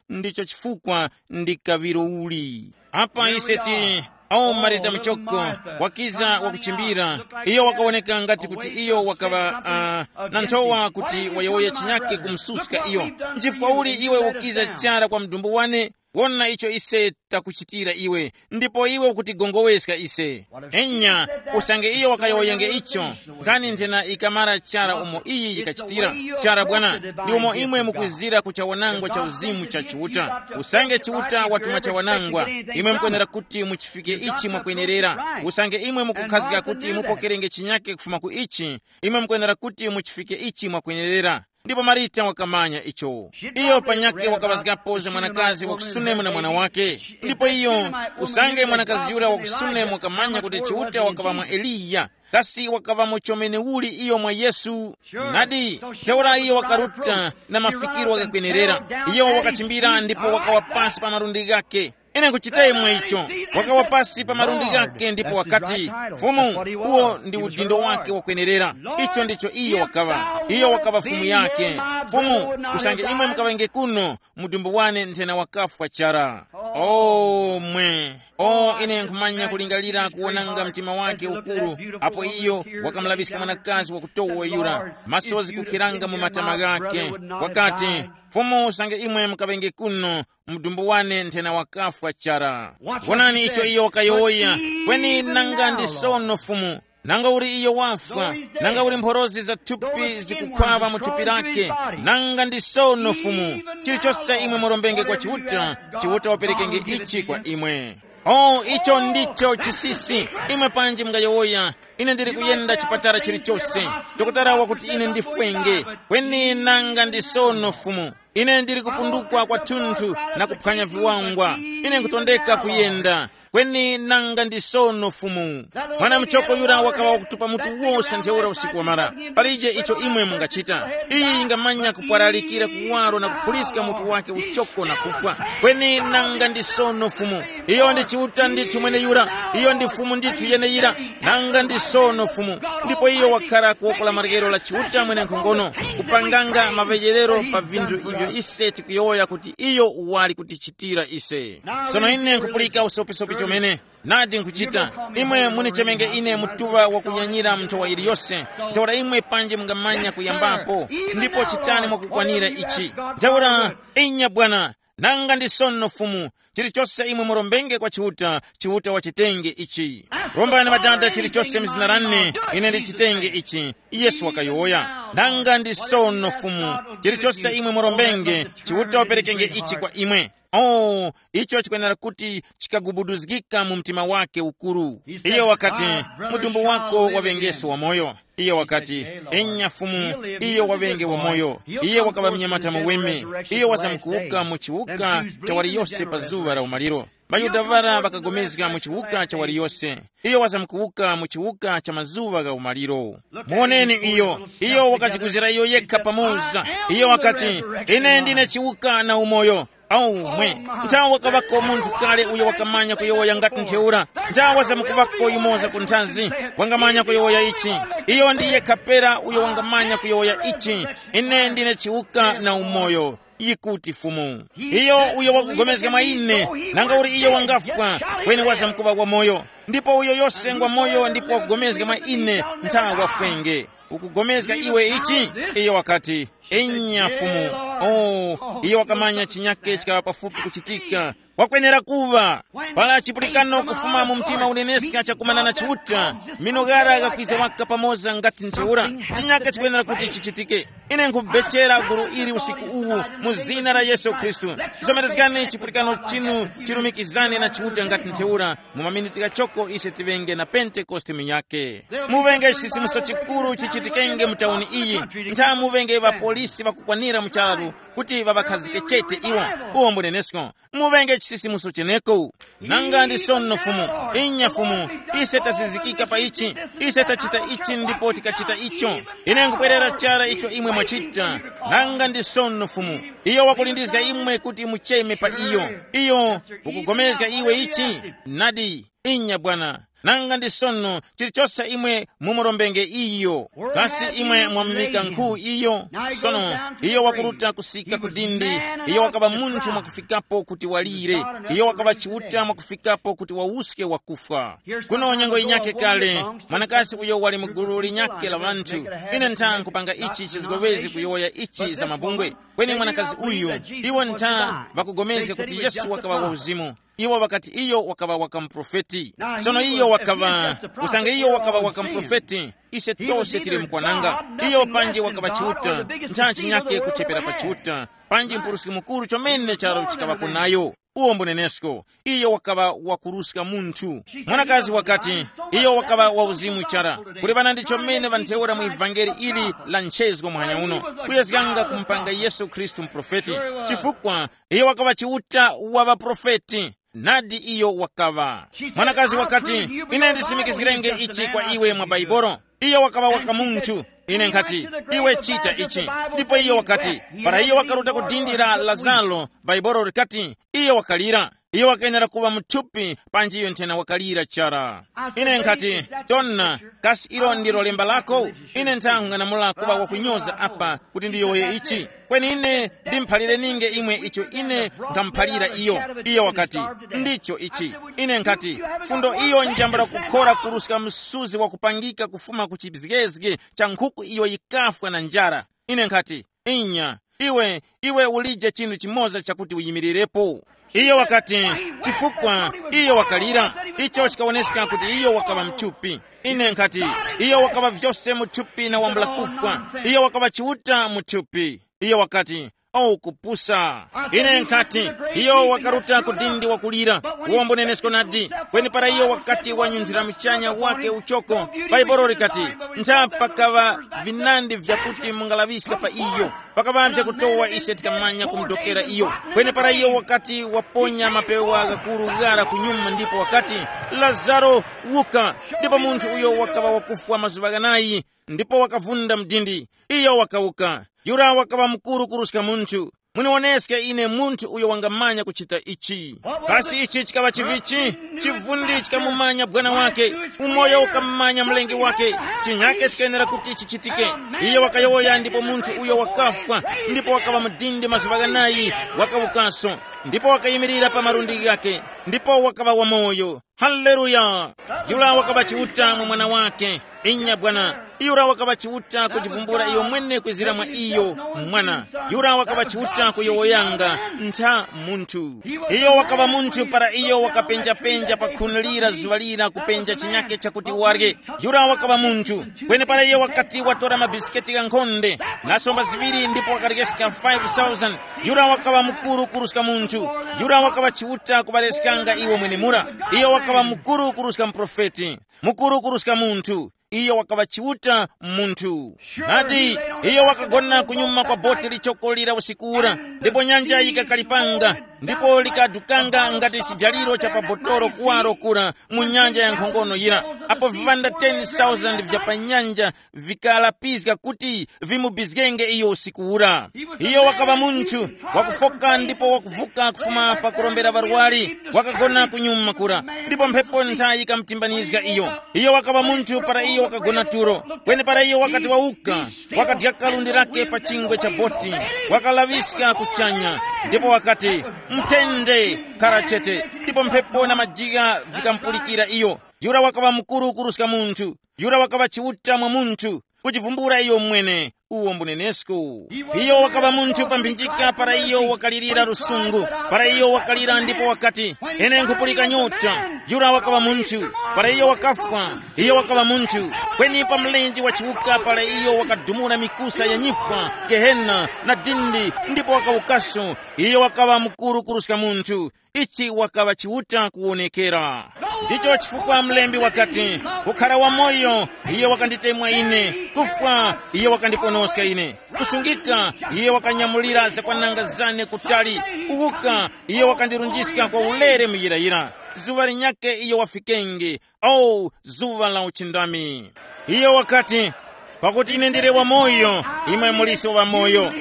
Ndicho chifukwa ndi kaŵiro uli. Apa ise ti, awo Marita muchoko wakiza wakuchimbira. Iyo wakawoneka ngati kuti iyo wakaŵa uh, na nthowa kuti wayowoya chinyake kumususka iyo. Nchifukwa uli iwe ukiza chara kwa mdumbu wane? Wona icho ise takuchitira iwe, ndipo iwe ukutigongoweska ise. Enya, usange iyo wakayowoyenge icho, nkhani nthena ikamara chara umo iyi yikachitira. Chara bwana, ndi umo imwe mukwizira ku chawanangwa cha uzimu cha Chiuta. Usange Chiuta watuma chawanangwa, imwe mukwenera kuti muchifike ichi mwakwenerera. Usange imwe mukukhazika kuti mupokerenge chinyake kufuma ku ichi, imwe mukwenera kuti muchifike ichi mwakwenerera. Ndipo Marita wakamanya icho. Iyo panyakhe wakaŵazgapo za mwanakazi wa ku Sunemu na mwana wake. Ndipo iyo, usange mwanakazi yura wa ku Sunemu wakamanya kuti Chiuta wakaŵa mwa Eliya, kasi wakaŵamo chomene uli iyo mwa Yesu? Nadi, ntheura iyo wakaruta na mafikiro ghakakwenerera. Iyo wakachimbira ndipo wakawa pasi pa malundi ghakhe. Ine nkuchita imwe icho. Wakawa pasi pa malundi ghakhe ndipo wakati, Fumu, uwo ndi udindo wake wakwenerera. Icho ndicho iyo wakaŵa. Iyo wakaŵa fumu yake. Fumu, usange imwe mukaŵenge kuno, mudumbu wane nthena wakafwa chara. O mwe. O, ine nkhumanya kulingalira kuwonanga mtima wake ukuru, apo iyo wakamulaŵiska mwanakazi wakutowa yura, masozi kukhiranga mu matama ghakhe. Wakati, Fumu, usange imwe mukaŵenge kuno, mdumbu wane nthena wakafwa chara. Wonani icho iyo wakayowoya, kweni nanga ndi sono Fumu. Nanga uli iyo wafwa, nanga uli mphorozi za thupi zikukhwaŵa mu thupi lake, nanga ndi sono Fumu. Chilichose imwe murombenge kwa Chiuta, Chiuta waperekenge ichi kwa imwe. O, icho ndicho chisisi. Imwe panji mungayowoya, ine ndili kuyenda chipatala chilichose. Dokotala wakuti ine ndifwenge, kweni nanga ndi sono Fumu. Ine ndili kupundukwa kwathunthu na kuphwanya viwangwa. Ine nkutondeka kuyenda. Kweni nanga ndi sono Fumu. Mwana muchoko yura wakawa wakutupa mutu wose ntheura usiku wamara. Palije icho imwe mungachita. Iyi yingamanya kupwaralikira kuwaro na kuphuliska mutu wake uchoko na kufwa. Kweni nanga ndi sono Fumu. Iyo ndi Chiuta ndithu mweneyura. Iyo ndi Fumu ndithu yeneyira. Nanga ndi sono Fumu. Ndipo iyo wakhala kuwoko la maryero la Chiuta mwenenkhongono, kupanganga maŵeyerero pa vinthu ivyo ise tikuyowoya kuti iyo wali kutichitira ise. Sono ine nkupulika usopisopi chomene. Nadi nkuchita. Imwe munichemenge ine mutuŵa wakunyanyira nthowa yiliyose. Ntheura imwe panji mungamanya kuyambapo. Ndipo chitani mwakukwanira ichi. Ntheura, inya bwana, Nanga ndi sono Fumu, chilichose imwe murombenge kwa Chiuta, Chiuta wachitenge ichi. Rombani Ŵadada chilichose mzina lane, ine ndichitenge ichi. Yesu wakayowoya. Nanga ndi sono Fumu, chilichose imwe murombenge, Chiuta waperekenge ichi kwa imwe. Oh, icho chikwenera kuti chikagubuduzgika mu mtima wake ukuru. Iye wakati, mudumbu wako waŵengese wamoyo. Iye wakati, enya Fumu, iyo waŵenge wamoyo. Iye wakaŵa mnyamata muweme. Iye wazamkuwuka mu chiwuka cha waliyose pa zuŵa la umaliro. Mayuda ŵara ŵakagomezga mu chiwuka cha waliyose. Iyo wazamkuwuka mu chiwuka cha mazuŵa gha umaliro. Muwoneni iyo. Iyo wakajikuzira iyo yekha pamoza. Iyo wakati, ine ndine chiwuka na umoyo. Aumwe, nthawe wakaŵako munthu kale uyo wakamanya kuyowoya ngati ntheura. Nthawe wazamkuŵako yumoza ku nthazi, wangamanya kuyowoya ichi. Iyo ndi yekha pera uyo wangamanya kuyowoya ichi. Ine ndine chiwuka na umoyo, yikuti Fumu. Iyo uyo wakugomezga mwa ine, nanga uli iyo wangafwa, kweni wazamkuŵa wamoyo. Ndipo uyo yose ngwa moyo ndipo wakugomezga mwa ine, nthawe wafwenge. Ukugomezga iwe ichi? Iyo wakati, enya Fumu. Oh, iyo wakamanya chinyake chikaŵa pafupi kuchitika. Wakwenera kuŵa. Pala chipulikano kufuma mu mtima uneneska chakumana na Chiuta, mino ghara ghakwiza waka pamoza ngati ntheura. Chinyake chikwenera kuti chichitike. Ine nkubechera gulu ili usiku uwu mu zina la Yesu Khristu. Zomerezgani chipulikano chinu chirumikizane na Chiuta ngati ntheura. Mu maminiti ghachoko ise tiŵenge na Pentekoste munyake. Muŵenge chisisimuso chikuru chichitikenge mu tauni iyi. Ntha muŵenge ŵapolisi ŵakukwanira mu charu kuti ŵaŵakhazike chete iwo. Uwo mbunenesko. Muŵenge chisisimuso cheneko. Nanga ndi sono Fumu, inya Fumu, ise tazizikika pa ichi, ise tachita ichi ndipo tikachita icho. Ine nkupwerera chara icho imwe mwachita. Nanga ndi sono Fumu, iyo wakulindizga imwe kuti mucheme pa iyo. Iyo ukugomezga iwe ichi? Nadi, inya Bwana. Nanga ndi sono chilichose imwe mumurombenge iyo. Kasi imwe mwamuŵika nkhu iyo? Sono iyo wakuruta kusika ku dindi. Iyo wakaŵa munthu mwakufikapo kuti walire. Iyo wakaŵa Chiuta mwakufikapo kuti wawuske wakufwa. Kuno nyengo yinyakhe kale, mwanakazi uyo wali mu gulu linyakhe la ŵanthu. Ine ntha nkupanga ichi chizgowezi kuyowoya ichi za mabungwe. Kweni mwanakazi uyu, iwo ntha ŵakugomezga kuti Yesu wakaŵa wa uzimu. Iwo ŵakati iyo wakaŵa waka muprofeti. Sono iyo wakaŵa, usange iyo wakaŵa waka muprofeti, ise tose tili mukwananga. Iyo panji wakaŵa Chiuta, nthanchi nyakhe kuchepera pa Chiuta, panji mpuruski mukuru chomene charo chikaŵapo nayo. Uwo mbunenesko, iyo wakaŵa wakuruska munthu. Mwanakazi wakati, iyo wakaŵa wa uzimu chara. Kuli ŵanandi chomene ŵantheura mu ivangeli ili la nchezgo muhanya uno, kuyezganga kumupanga Yesu Khristu muprofeti. Chifukwa iyo wakaŵa Chiuta wa ŵaprofeti. Nadi iyo wakaŵa. Mwanakazi wakati, ine ndisimikizgirenge ichi kwa iwe mwa Baibolo. Iyo wakaŵa waka munthu. Ine nkhati, iwe chita ichi. Ndipo iyo wakati, para iyo wakaruta ku dindi la Lazaro, Baibolo likati, iyo wakalira. Iyo wakayenera kuŵa muthupi panji iyo nthena wakalira chara. Ine nkhati, dona, kasi ilo ndilo lemba lako? Ine nthang'anamula kuŵa wakunyoza apa kuti ndiyowoye ichi. Kweni ine ndimuphalire ninge imwe icho ine nkhamuphalira iyo. Iyo wakati, ndicho ichi. Ine nkhati, fundo iyo njambula kukhora kuruska msuzi wakupangika kufuma ku chizgezge cha nkhuku iyo yikafwa na njara. Ine nkhati, inya, iwe, iwe ulije chinthu chimoza chakuti uyimirirepo. Iyo wakati, chifukwa iyo wakalira. Icho chikawoneska kuti iyo wakaŵa mthupi. Ine nkhati, iyo wakaŵa vyose muthupi na wambula kufwa. Iyo wakaŵa Chiuta muthupi. Iyo wakati, o kupusa. Ine nkhati, iyo wakaruta ku dindi wakulira. Uwo mbunenesko nadi. Kweni para iyo wakati wanyunthira muchanya wake uchoko, Baibolo likati, ntha pakaŵa vinandi vyakuti mungalaŵiska pa iyo. Pakaŵa vyakutowa ise tikamanya kumudokera iyo. Kweni para iyo wakati waponya mapewa ghakuru ghara kunyuma ndipo wakati, Lazaro, wuka. Ndipo munthu uyo wakaŵa wakufwa mazuŵa ghanayi, ndipo wakavunda mdindi. Iyo wakawuka. Yura wakaŵa mukuru kuruska munthu. Muniwoneske ine munthu uyo wangamanya kuchita ichi. Kasi ichi chikaŵa chivichi? Chivundi chikamumanya bwana wake, umoyo ukamumanya mlengi wake. Chinyake chikayenera kuti chichitike. Iye wakayowoya ndipo munthu uyo wakafwa, ndipo wakaŵa mudindi mazuŵa ghanayi, wakawukaso, ndipo wakayimirira pa malundi ghake, ndipo wakaŵa wamoyo. Haleluya! Yura wakaŵa Chiuta mwa mwana wake. Inya bwana, Yura wakaŵa Chiuta kujivumbula iyo mwene kwezira mwa iyo, mwana. Yura wakaŵa Chiuta kuyowoyanga ntha munthu. Iyo wakaŵa munthu para iyo wakapenjapenja pa khuni lira zuŵa lira kupenja chinyake chakuti warye. Yura wakaŵa munthu. Kweni para iyo wakati watora mabisiketi ghankhonde, nasomba ziŵiri ndipo wakaryeskha five thousand. Yura wakaŵa mukuru kuruska munthu. Yura wakaŵa Chiuta kuŵareskanga iwo mwenemura. Iyo wakaŵa mukuru kuruska muprofeti, mukuru kuruska munthu. Iyo wakaŵa Chiuta munthu. Nadi, iyo wakagona kunyuma kwa boti lichoko lira usiku ura, ndipo nyanja yikakalipanga, ndipo likadukanga ngati chijaliro cha pa botoro kuwaro kura mu nyanja ya nkhongono yira, apo viŵanda ten thousand vya pa nyanja vikalapizga kuti vimubizgenge iyo usiku ura. Iyo wakaŵa munthu wakufoka ndipo wakuvuka kufuma pakurombera ŵarwari, wakagona kunyuma kura, ndipo mphepo nthayi yikamutimbanizga iyo. Iyo wakaŵa munthu para iyo wakagona tulo, kweni para iyo wakati wawuka, wakadya kalundi lake pa chingwe cha boti, wakalaŵiska kuchanya, ndipo wakati, "Mthende, khara chete," ndipo mphepo na majigha vikamupulikira iyo. Yura wakaŵa mukuru kuruska munthu. Yura wakaŵa Chiuta mwa munthu, kujivumbula iyo mwene, uwo mbunenesko. Iyo wakaŵa munthu pa mphinjika para iyo wakalirira lusungu, para iyo wakalira ndipo wakati, "Ine nkhupulika nyota." Yura wakaŵa munthu. Para iyo wakafwa, iyo wakaŵa munthu. Kweni pa mlenje wa chiwuka para iyo wakadumula mikusa ya nyifwa, gehena, na dindi, ndipo wakawukaso, iyo wakaŵa mukuru kuruska munthu. Ichi wakaŵa Chiuta kuwonekera. Ndicho chifukwa mlembi wakati, "Kukhara wamoyo, iye wakanditemwa ine, kufwa, iye wakandiponoska ine, kusungika, iye wakanyamulira zakwananga zane kutali, kuwuka, iye wakandirunjiska kwa ulere muyirayira. Zuŵa linyakhe iyo wafikenge, o zuŵa la uchindami." Iyo wakati, "Pakuti ine ndili wamoyo, imwe muliso wamoyo.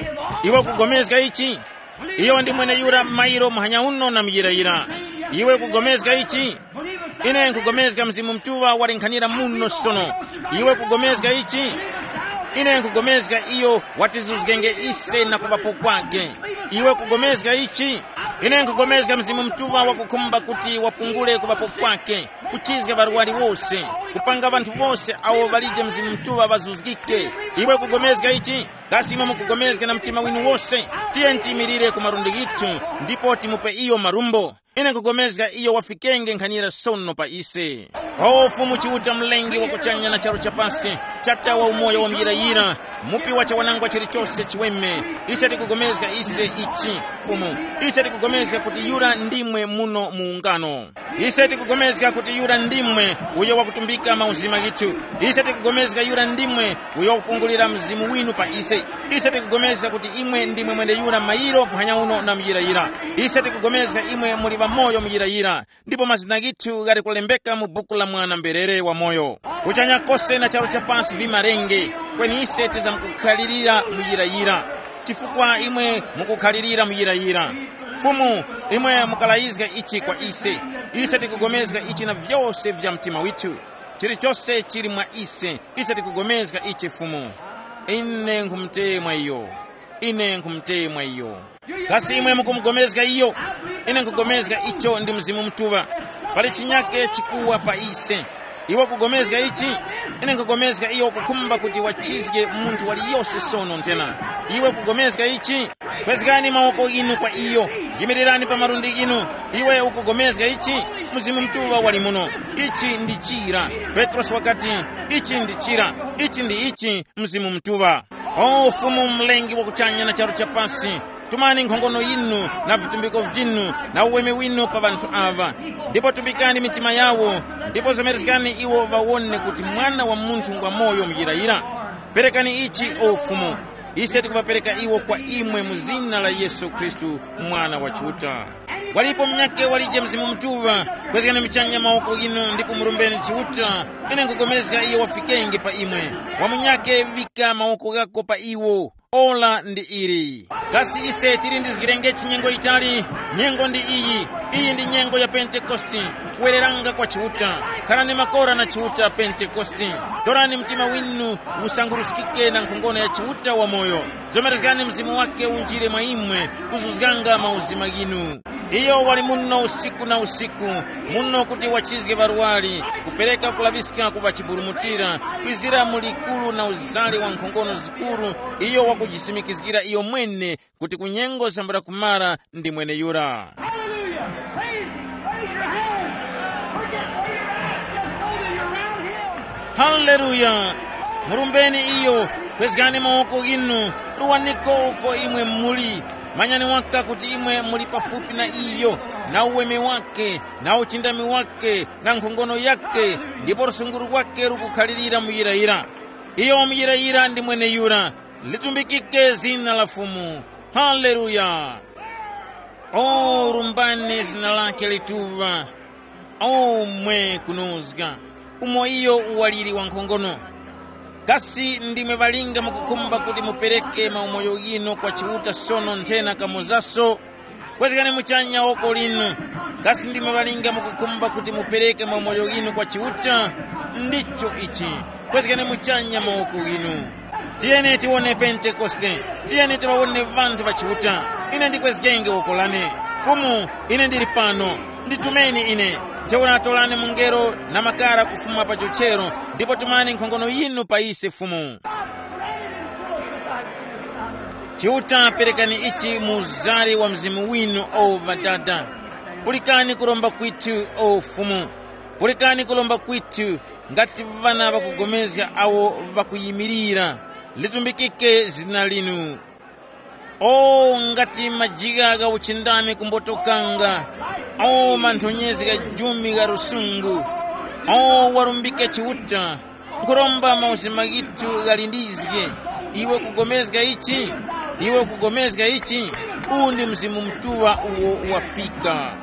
Iwe ukugomezga ichi? Iyo ndi mweneyura mairo muhanya uno na muyirayira. Iwe ukugomezga ichi?" Ine nkugomezga Mzimu Mutuŵa walenkhanira muno sono. Iwe ukugomezga ichi? Ine nkugomezga iyo watizuzgenge ise na kuŵapo kwake. Iwe ukugomezga ichi? Ine nkugomezga Mzimu Mutuŵa wakukhumba kuti wapungule kuŵapo kwake, kuchizga ŵarwari wose, kupanga ŵanthu wose awo ŵalije Mzimu Mutuŵa ŵazuzgike. Iwe ukugomezga ichi? Kasi imwe mukugomezga na mtima winu wose? Tiye tiyimirire ku malundi ghithu ndipo timupe iyo marumbo. Ine nkugomezga iyo wafikenge nkhanira sono pa ise. O Fumu Chiuta, Mlengi wa kuchanya na charu cha pasi, Chata wa umoyo wa muyirayira, Mupi wa chawanangwa chilichose chiweme, ise tikugomezga ise ichi, Fumu. Ise tikugomezga kuti yura ndimwe muno mu ungano. Ise tikugomezga kuti yura ndimwe uyo wakutumbika mauzima ghithu. Ise tikugomezga yura ndimwe uyo wakupungulira Mzimu winu pa ise. Ise tikugomezga kuti imwe ndimwe mwene yura mayiro muhanya uno na muyirayira. Ise tikugomezga imwe muli ŵamoyo muyirayira, ndipo mazina ghithu ghali kulembeka mu buku la Mwana mberere wamoyo. Kuchanya kose na charu cha pasi vimarenge, kweni ise tizamkukhalirira muyirayira, chifukwa imwe mukukhalirira muyirayira. Fumu, imwe mukalayizga ichi kwa ise. Ise tikugomezga ichi na vyose vya mtima withu. Chilichose chili mwa ise, ise tikugomezga ichi, Fumu. Ine nkhumutemwa iyo. Ine nkhumutemwa iyo. Kasi imwe mukumugomezga iyo? Ine nkugomezga icho ndi Mzimu Mutuŵa. Pali chinyake chikuwa pa ise. Iwe ukugomezga ichi? Ine nkugomezga iyo ukukhumba kuti wachizge munthu waliyose sono nthena. Iwe ukugomezga ichi? Kwezgani mawoko ghinu kwa iyo. Yimirirani pa malundi ghinu. Iwe ukugomezga ichi? Mzimu Mutuŵa wali muno. Ichi ndi chira. Petrosi wakati, "Ichi ndi chira. Ichi ndi ichi, Mzimu Mutuŵa." O Fumu, Mlengi wa kuchanya na charu cha pasi, tumani nkhongono yinu na vitumbiko vyinu na uweme winu pa ŵanthu aŵa. Ndipo tumbikani mitima yawo, ndipo zomerezgani iwo ŵawone kuti Mwana wa Munthu ngwamoyo muyirayira. Perekani ichi, o Fumu. Ise tikuŵapereka iwo kwa imwe mu zina la Yesu Khristu, Mwana wa Chiuta. Walipo munyakhe walije Mzimu Mutuŵa? Kwezgani muchanya mawoko ghinu ndipo murombeni Chiuta. Ine nkugomezga iyo wafikenge pa imwe. Wa munyakhe, vika mawoko ghako pa iwo. Ora ndi ili. Kasi ise tilindizgirengechi nyengo yitali? Nyengo ndi iyi. Iyi ndi nyengo ya Pentekoste. Kuwereranga kwa Chiuta. Khalani makora na Chiuta Pentekoste. Torani mtima winu usanguruskike na nkhongono ya Chiuta wamoyo. Zomerezgani Mzimu wake unjire mwa imwe, kuzuzganga mauzima ghinu. Iyo wali muno usiku na usiku, muno kuti wachizge ŵarwari, kupereka kulaŵiska ku ŵachiburumutira, kwizira mu likuru na uzale wa nkhongono zikuru. Iyo wakujisimikizgira iyo mwene kuti ku nyengo zambula kumara ndi mweneyura. Hallelujah! Raise, raise your hand. Forget where you're at. Just know that you're around him. Haleluya! Murumbeni iyo, kwezgani mawoko ghinu, ruwaniko uko imwe muli. Manyani waka kuti imwe muli pafupi na iyo, na uweme wake, na uchindami wake, na nkhongono yake, ndipo lusunguru lwake lukukhalirira muyirayira. Iyo muyirayira ndi mweneyura. Litumbikike zina la Fumu. Haleluya! O, rumbani zina lake lituŵa. O, mwe kunozga, umo iyo uwaliri wankhongono. Kasi ndimwe ŵalinga mukukhumba kuti mupereke maumoyo ghinu kwa Chiuta sono nthena kamozaso? Kwezgani muchanya woko linu. Kasi ndimwe ŵalinga mukukhumba kuti mupereke maumoyo ghinu kwa Chiuta? Ndicho ichi. Kwezgani muchanya mawoko ghinu. Tiyeni tiwone Pentekoste. Tiyeni tiŵawone ŵanthu ŵa Chiuta. Ine ndikwezgenge woko lane. Fumu, ine ndili pano. Nditumeni ine. Ntheura torani mungelo na makara kufuma pa chochero, ndipo tumani nkhongono yinu pa ise, Fumu. Chiuta, perekani ichi mu uzari wa Mzimu winu, o Ŵadada. Pulikani kuromba kwithu, o Fumu. Pulikani kuromba kwithu, ngati ŵana ŵakugomezga awo ŵakuyimirira. Litumbikike zina linu. O, ngati majigha gha uchindami kumbotokanga, o, manthonyezi gha jumi gha lusungu, o, warumbike Chiuta, nkhuromba mauzima ghithu ghalindizge. Iwe kugomezga ichi? Iwe kugomezga ichi? Uwu ndi Mzimu Mutuŵa uwo wafika.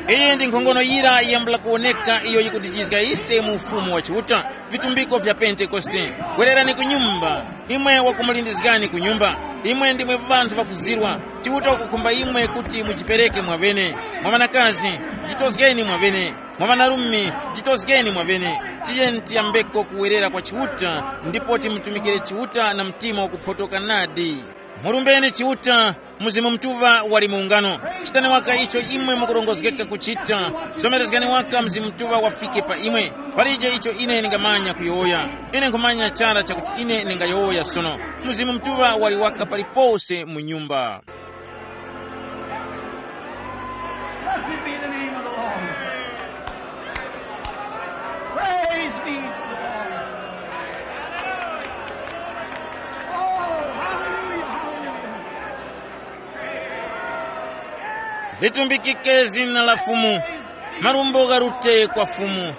Iyi ndi nkhongono yira yambula kuwoneka iyo yikutijizga ise mu Ufumu wa Chiuta. Vitumbiko vya Pentekoste. Gwererani ku nyumba. Imwe wakumulindizgani ku nyumba. Imwe ndimwe ŵanthu ŵakuzirwa. Chiuta wakukhumba imwe kuti mujipereke mwaŵene. Mwa ŵanakazi, jitozgeni mwaŵene. Mwa ŵanarume, jitozgeni mwaŵene. Tiyeni tiyambeko kuwerera kwa Chiuta, ndipo timutumikire Chiuta na mtima wakuphotoka nadi. Murumbeni Chiuta, Mzimu Mutuŵa wali mu ungano. Chitani waka icho imwe mukurongozgeka kuchita. Zomerezgani waka Mzimu Mutuŵa wafike pa imwe. Palije icho ine ndingamanya kuyowoya. Ine nkhumanya chara chakuti ine ndingayowoya sono. Mzimu Mutuŵa wali waka palipose mu nyumba. Blessed be the name of the Lord. Praise be to the Lord. Oh, hallelujah, hallelujah. Litumbikike zina la Fumu. Marumbo gharute kwa Fumu.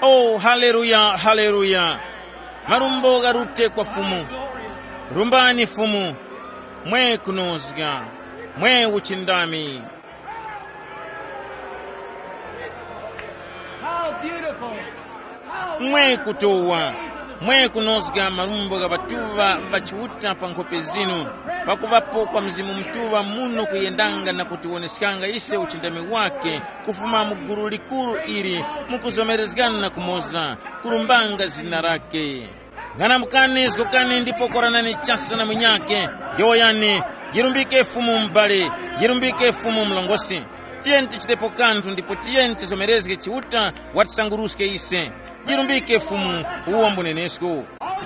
Oh, haleluya, haleluya. Marumbo gharute kwa Fumu. Rumbani Fumu. Mwe kunozga. Mwe uchindami. How beautiful. Mwe kutowa, mwe kunozga malumbo gha ŵatuŵa ŵa Chiuta pa nkhope zinu, pakuŵapo kwa Mzimu Mutuŵa muno kuyendanga na kutiwoneskanga ise uchindami wakhe kufuma mu gulu likuru ili, mukuzomerezgana na kumoza, kulumbanga zina lakhe. Ng'anamukani, zgokani ndipo koranani chasa na munyakhe, yowoyani, yirumbike Fumu m'bale, yirumbike Fumu mlongosi. Tiyeni tichitepo kanthu ndipo tiyeni tizomerezge Chiuta watisanguruske ise. Yirumbike Fumu uwo mbunenesko.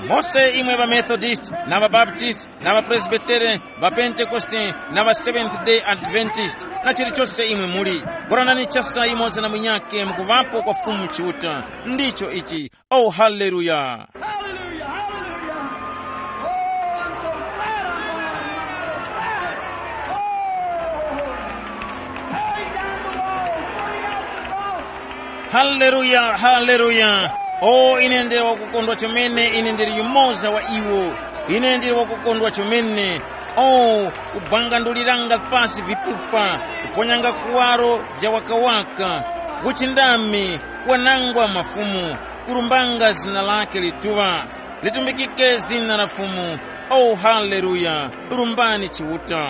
Mose imwe ŵaMethodist na ŵaBaptist na ŵaPresbitere, ŵaPentekoste na ŵaSeventh Day Adventist na chilichose imwe muli, koranani chasa yumoza na munyakhe mukuŵapo kwa Fumu Chiuta. Ndicho ichi. Oh, haleluya! Hallelujah, hallelujah. Oh, I'm so glad I'm going to the Lord. Oh, tearing down the walls, burning out the cross. Haleluya, haleluya! Oh, ine ndili wakukondwa chomene, ine ndili yumoza wa iwo. Ine ndili wakukondwa chomene. Oh, kubwanganduliranga pasi vipupa, kuponyanga kuwaro vya wakawaka, uchindami, wanangwa mafumu, kulumbanga zina lakhe lituŵa. Litumbikike zina la Fumu. Oh, haleluya! Lumbani Chiuta.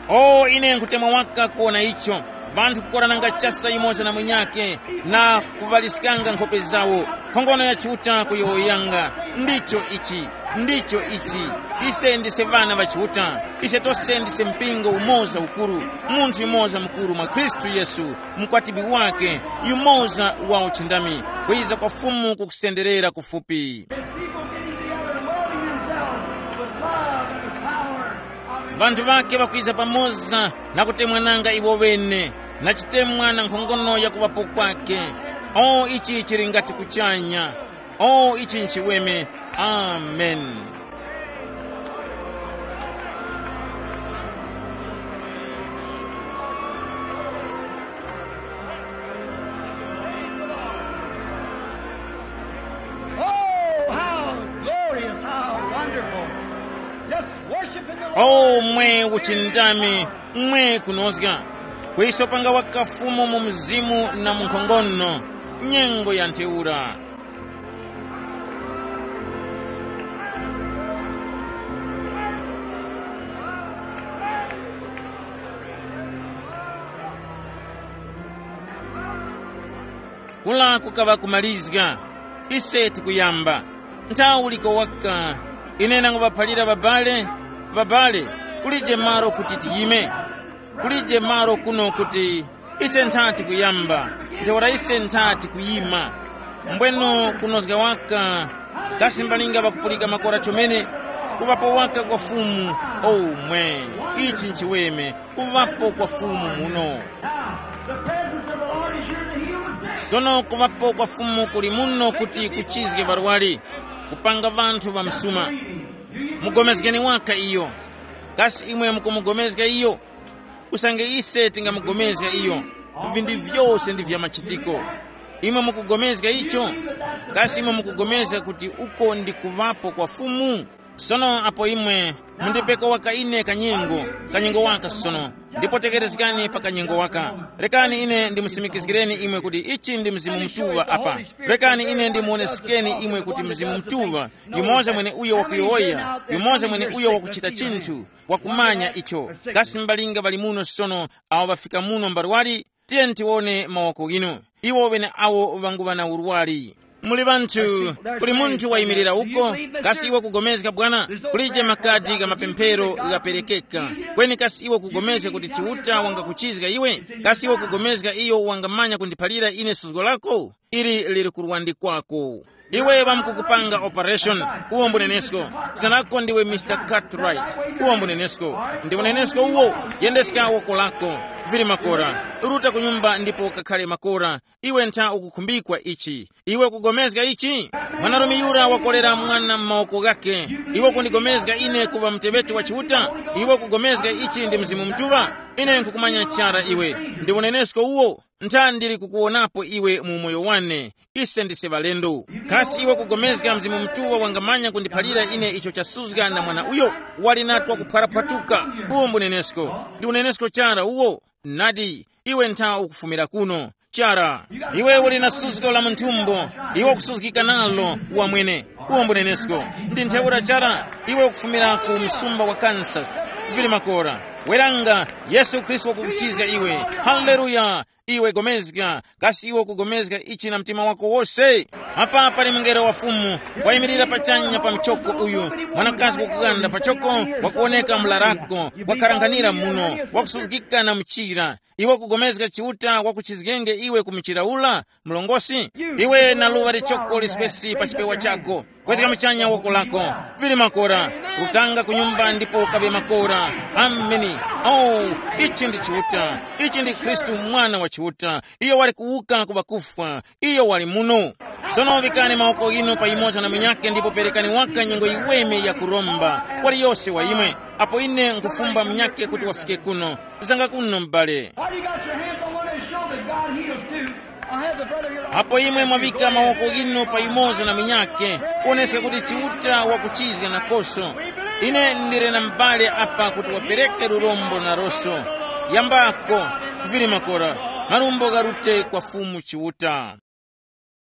Oh, ine nkhutemwa waka kuwona icho. Ŵanthu kukorananga chasa yumoza na munyakhe, na kuŵaliskanga nkhope zawo. Nkhongono ya Chiuta kuyowoyanga. Ndicho ichi. Ndicho ichi. Ise ndise ŵana ŵa Chiuta. Ise tose ndise mpingo umoza ukuru, munthu yumoza mukuru mwa Khristu Yesu, mukwatibi wake, yumoza wa uchindami, kwiza kwa Fumu kukusenderera kufupi. His people getting together and welding themselves with love and the power of his Vanthu vake vakwiza pamoza na kutemwananga iwo ŵene, na chitemwa na nkhongono ya kuŵapo kwake. O, ichi chili ngati kuchanya. O, ichi nchiweme. Amen. Oh, how glorious, how wonderful. Just worshiping the Lord. O, mwe uchindami, mwe kunozga. Kuiso panga wakafumu mu mzimu na mu nkhongono, nyengo ya ntheura. Kula kukaŵa kumalizga. Ise tikuyamba. Nthawi uliko waka. Ine nanguphalira babale, babale, kulije malo kuti tiyime. Kulije malo kuno kuti ise nthati kuyamba. Ntheura ise nthati kuyima. Mbwenu kunozga waka. Kasi mbalinga ŵakupulika makora chomene? Kuŵapo waka kwa Fumu. Omwe. Ichi nchiweme. Kuŵapo kwa Fumu muno. Now, the presence of the Lord is here to heal the sick. Sono kuŵapo kwa Fumu kuli muno kuti kuchizge ŵarwari, kupanga ŵanthu ŵa msuma. Mugomezgeni waka iyo. Kasi imwe mukumugomezga iyo? Usange ise tingamugomezga iyo, vinthu vyose ndi vya machitiko. Imwe mukugomezga icho? Kasi imwe mukugomezga kuti uko ndi kuŵapo kwa Fumu? Sono apo imwe mundipeko waka ine kanyengo, kanyengo waka sono, ndipo tekerezgani pa kanyengo waka. Rekani ine ndimusimikizgireni imwe kuti ichi ndi Mzimu Mutuŵa apa. Rekani ine ndimuwonesekeni imwe kuti Mzimu Mutuŵa, yumoza mwene uyo wakuyowoya, yumoza mwene uyo wakuchita chinthu, wakumanya icho. Kasi mbalinga ŵali muno sono awo ŵafika muno mbarwali? Tiyeni tiwone mawoko ghinu. Iwo ŵeneawo ŵanguŵa na urwari. Muli ŵanthu, kuli munthu wayimirira uko, kasi iwe kugomezga bwana? Kulije makadi gha mapemphero ghaperekeka. Kweni kasi iwe kugomezga kuti Chiuta wangakuchizga iwe? Kasi iwe kugomezga iyo wangamanya kundiphalira ine suzgo lako? Ili liri kurwandikwako. Iwe ŵamkukupanga operation, uwo mbunenesko. Zina lako ndiwe Mister Cartwright, uwo mbunenesko. Ndi unenesko uwo. Yendeska woko lako. Vili makora, ruta ku nyumba ndipo ukakhale makora. Iwe ntha ukukhumbikwa ichi. Iwe ukugomezga ichi? Mwanarume yura wakolera mwana m'mawoko ghake. Iwe ukundigomezga ine kuŵa muteŵeti wa Chiuta? Iwe ukugomezga ichi ndi Mzimu Mutuŵa? Ine nkukumanya chara iwe. Ndi unenesko uwo. Ntha ndili kukuwonapo iwe mu umoyo wane. Ise ndise ŵalendo. Kasi iwe kugomezga Mzimu Mutuŵa wangamanya kundiphalira ine icho chasuzga na mwana uyo? Wali natwa kuphwaraphwatuka. Uwo mbunenesko. Ndi unenesko chara uwo. Nadi, iwe ntha ukufumira kuno. Chara, iwe uli na suzgo la munthumbo. Iwe ukusuzgika nalo wamwene. Uwo mbunenesko. Ndi ntheura chara, iwe ukufumira ku msumba wa Kansas. Vili makora. Weranga, Yesu Khristu wakukuchizga iwe. Haleluya. Iwe gomezga, kasi iwe ukugomezga ichi na mtima wako wose? Apa pali mungelo wa Fumu, wayimirira pachanya pa mchoko uyu, mwanakazi wakuganda pachoko, wakuwoneka mlarako, wakharanghanira muno, wakusuzgika na mchira. Iwe ukugomezga Chiuta wakuchizgenge iwe ku mchira ula, mlongosi? Iwe na luŵa lichoko liswesi pa chipewa chako. Kwezga muchanya woko lako. Vili makora. Rutanga ku nyumba ndipo ukaŵe makora. Ameni. Oh, ichi ndi Chiuta. Ichi ndi Khristu, Mwana wa Chiuta. Iyo wali kuwuka ku ŵakufwa. Iyo wali muno. Sono vikani mawoko ghinu payimoza na munyake ndipo perekani waka nyengo yiweme ya kuromba. Waliyose wa imwe. Apo ine nkufumba munyake kuti wafike kuno. Zanga kuno, m'bale. Why do you got your hands on one and show that God heals too? I have the brother here. Apo imwe mwavika mawoko inu pa yumoza na munyake, kuoneska kuti Chiuta wakuchizga nakoso. Ine ndili na m'bale apa kuti wapereke lurombo naroso. Yambako, vili makora, marumbo gharute kwa Fumu Chiuta.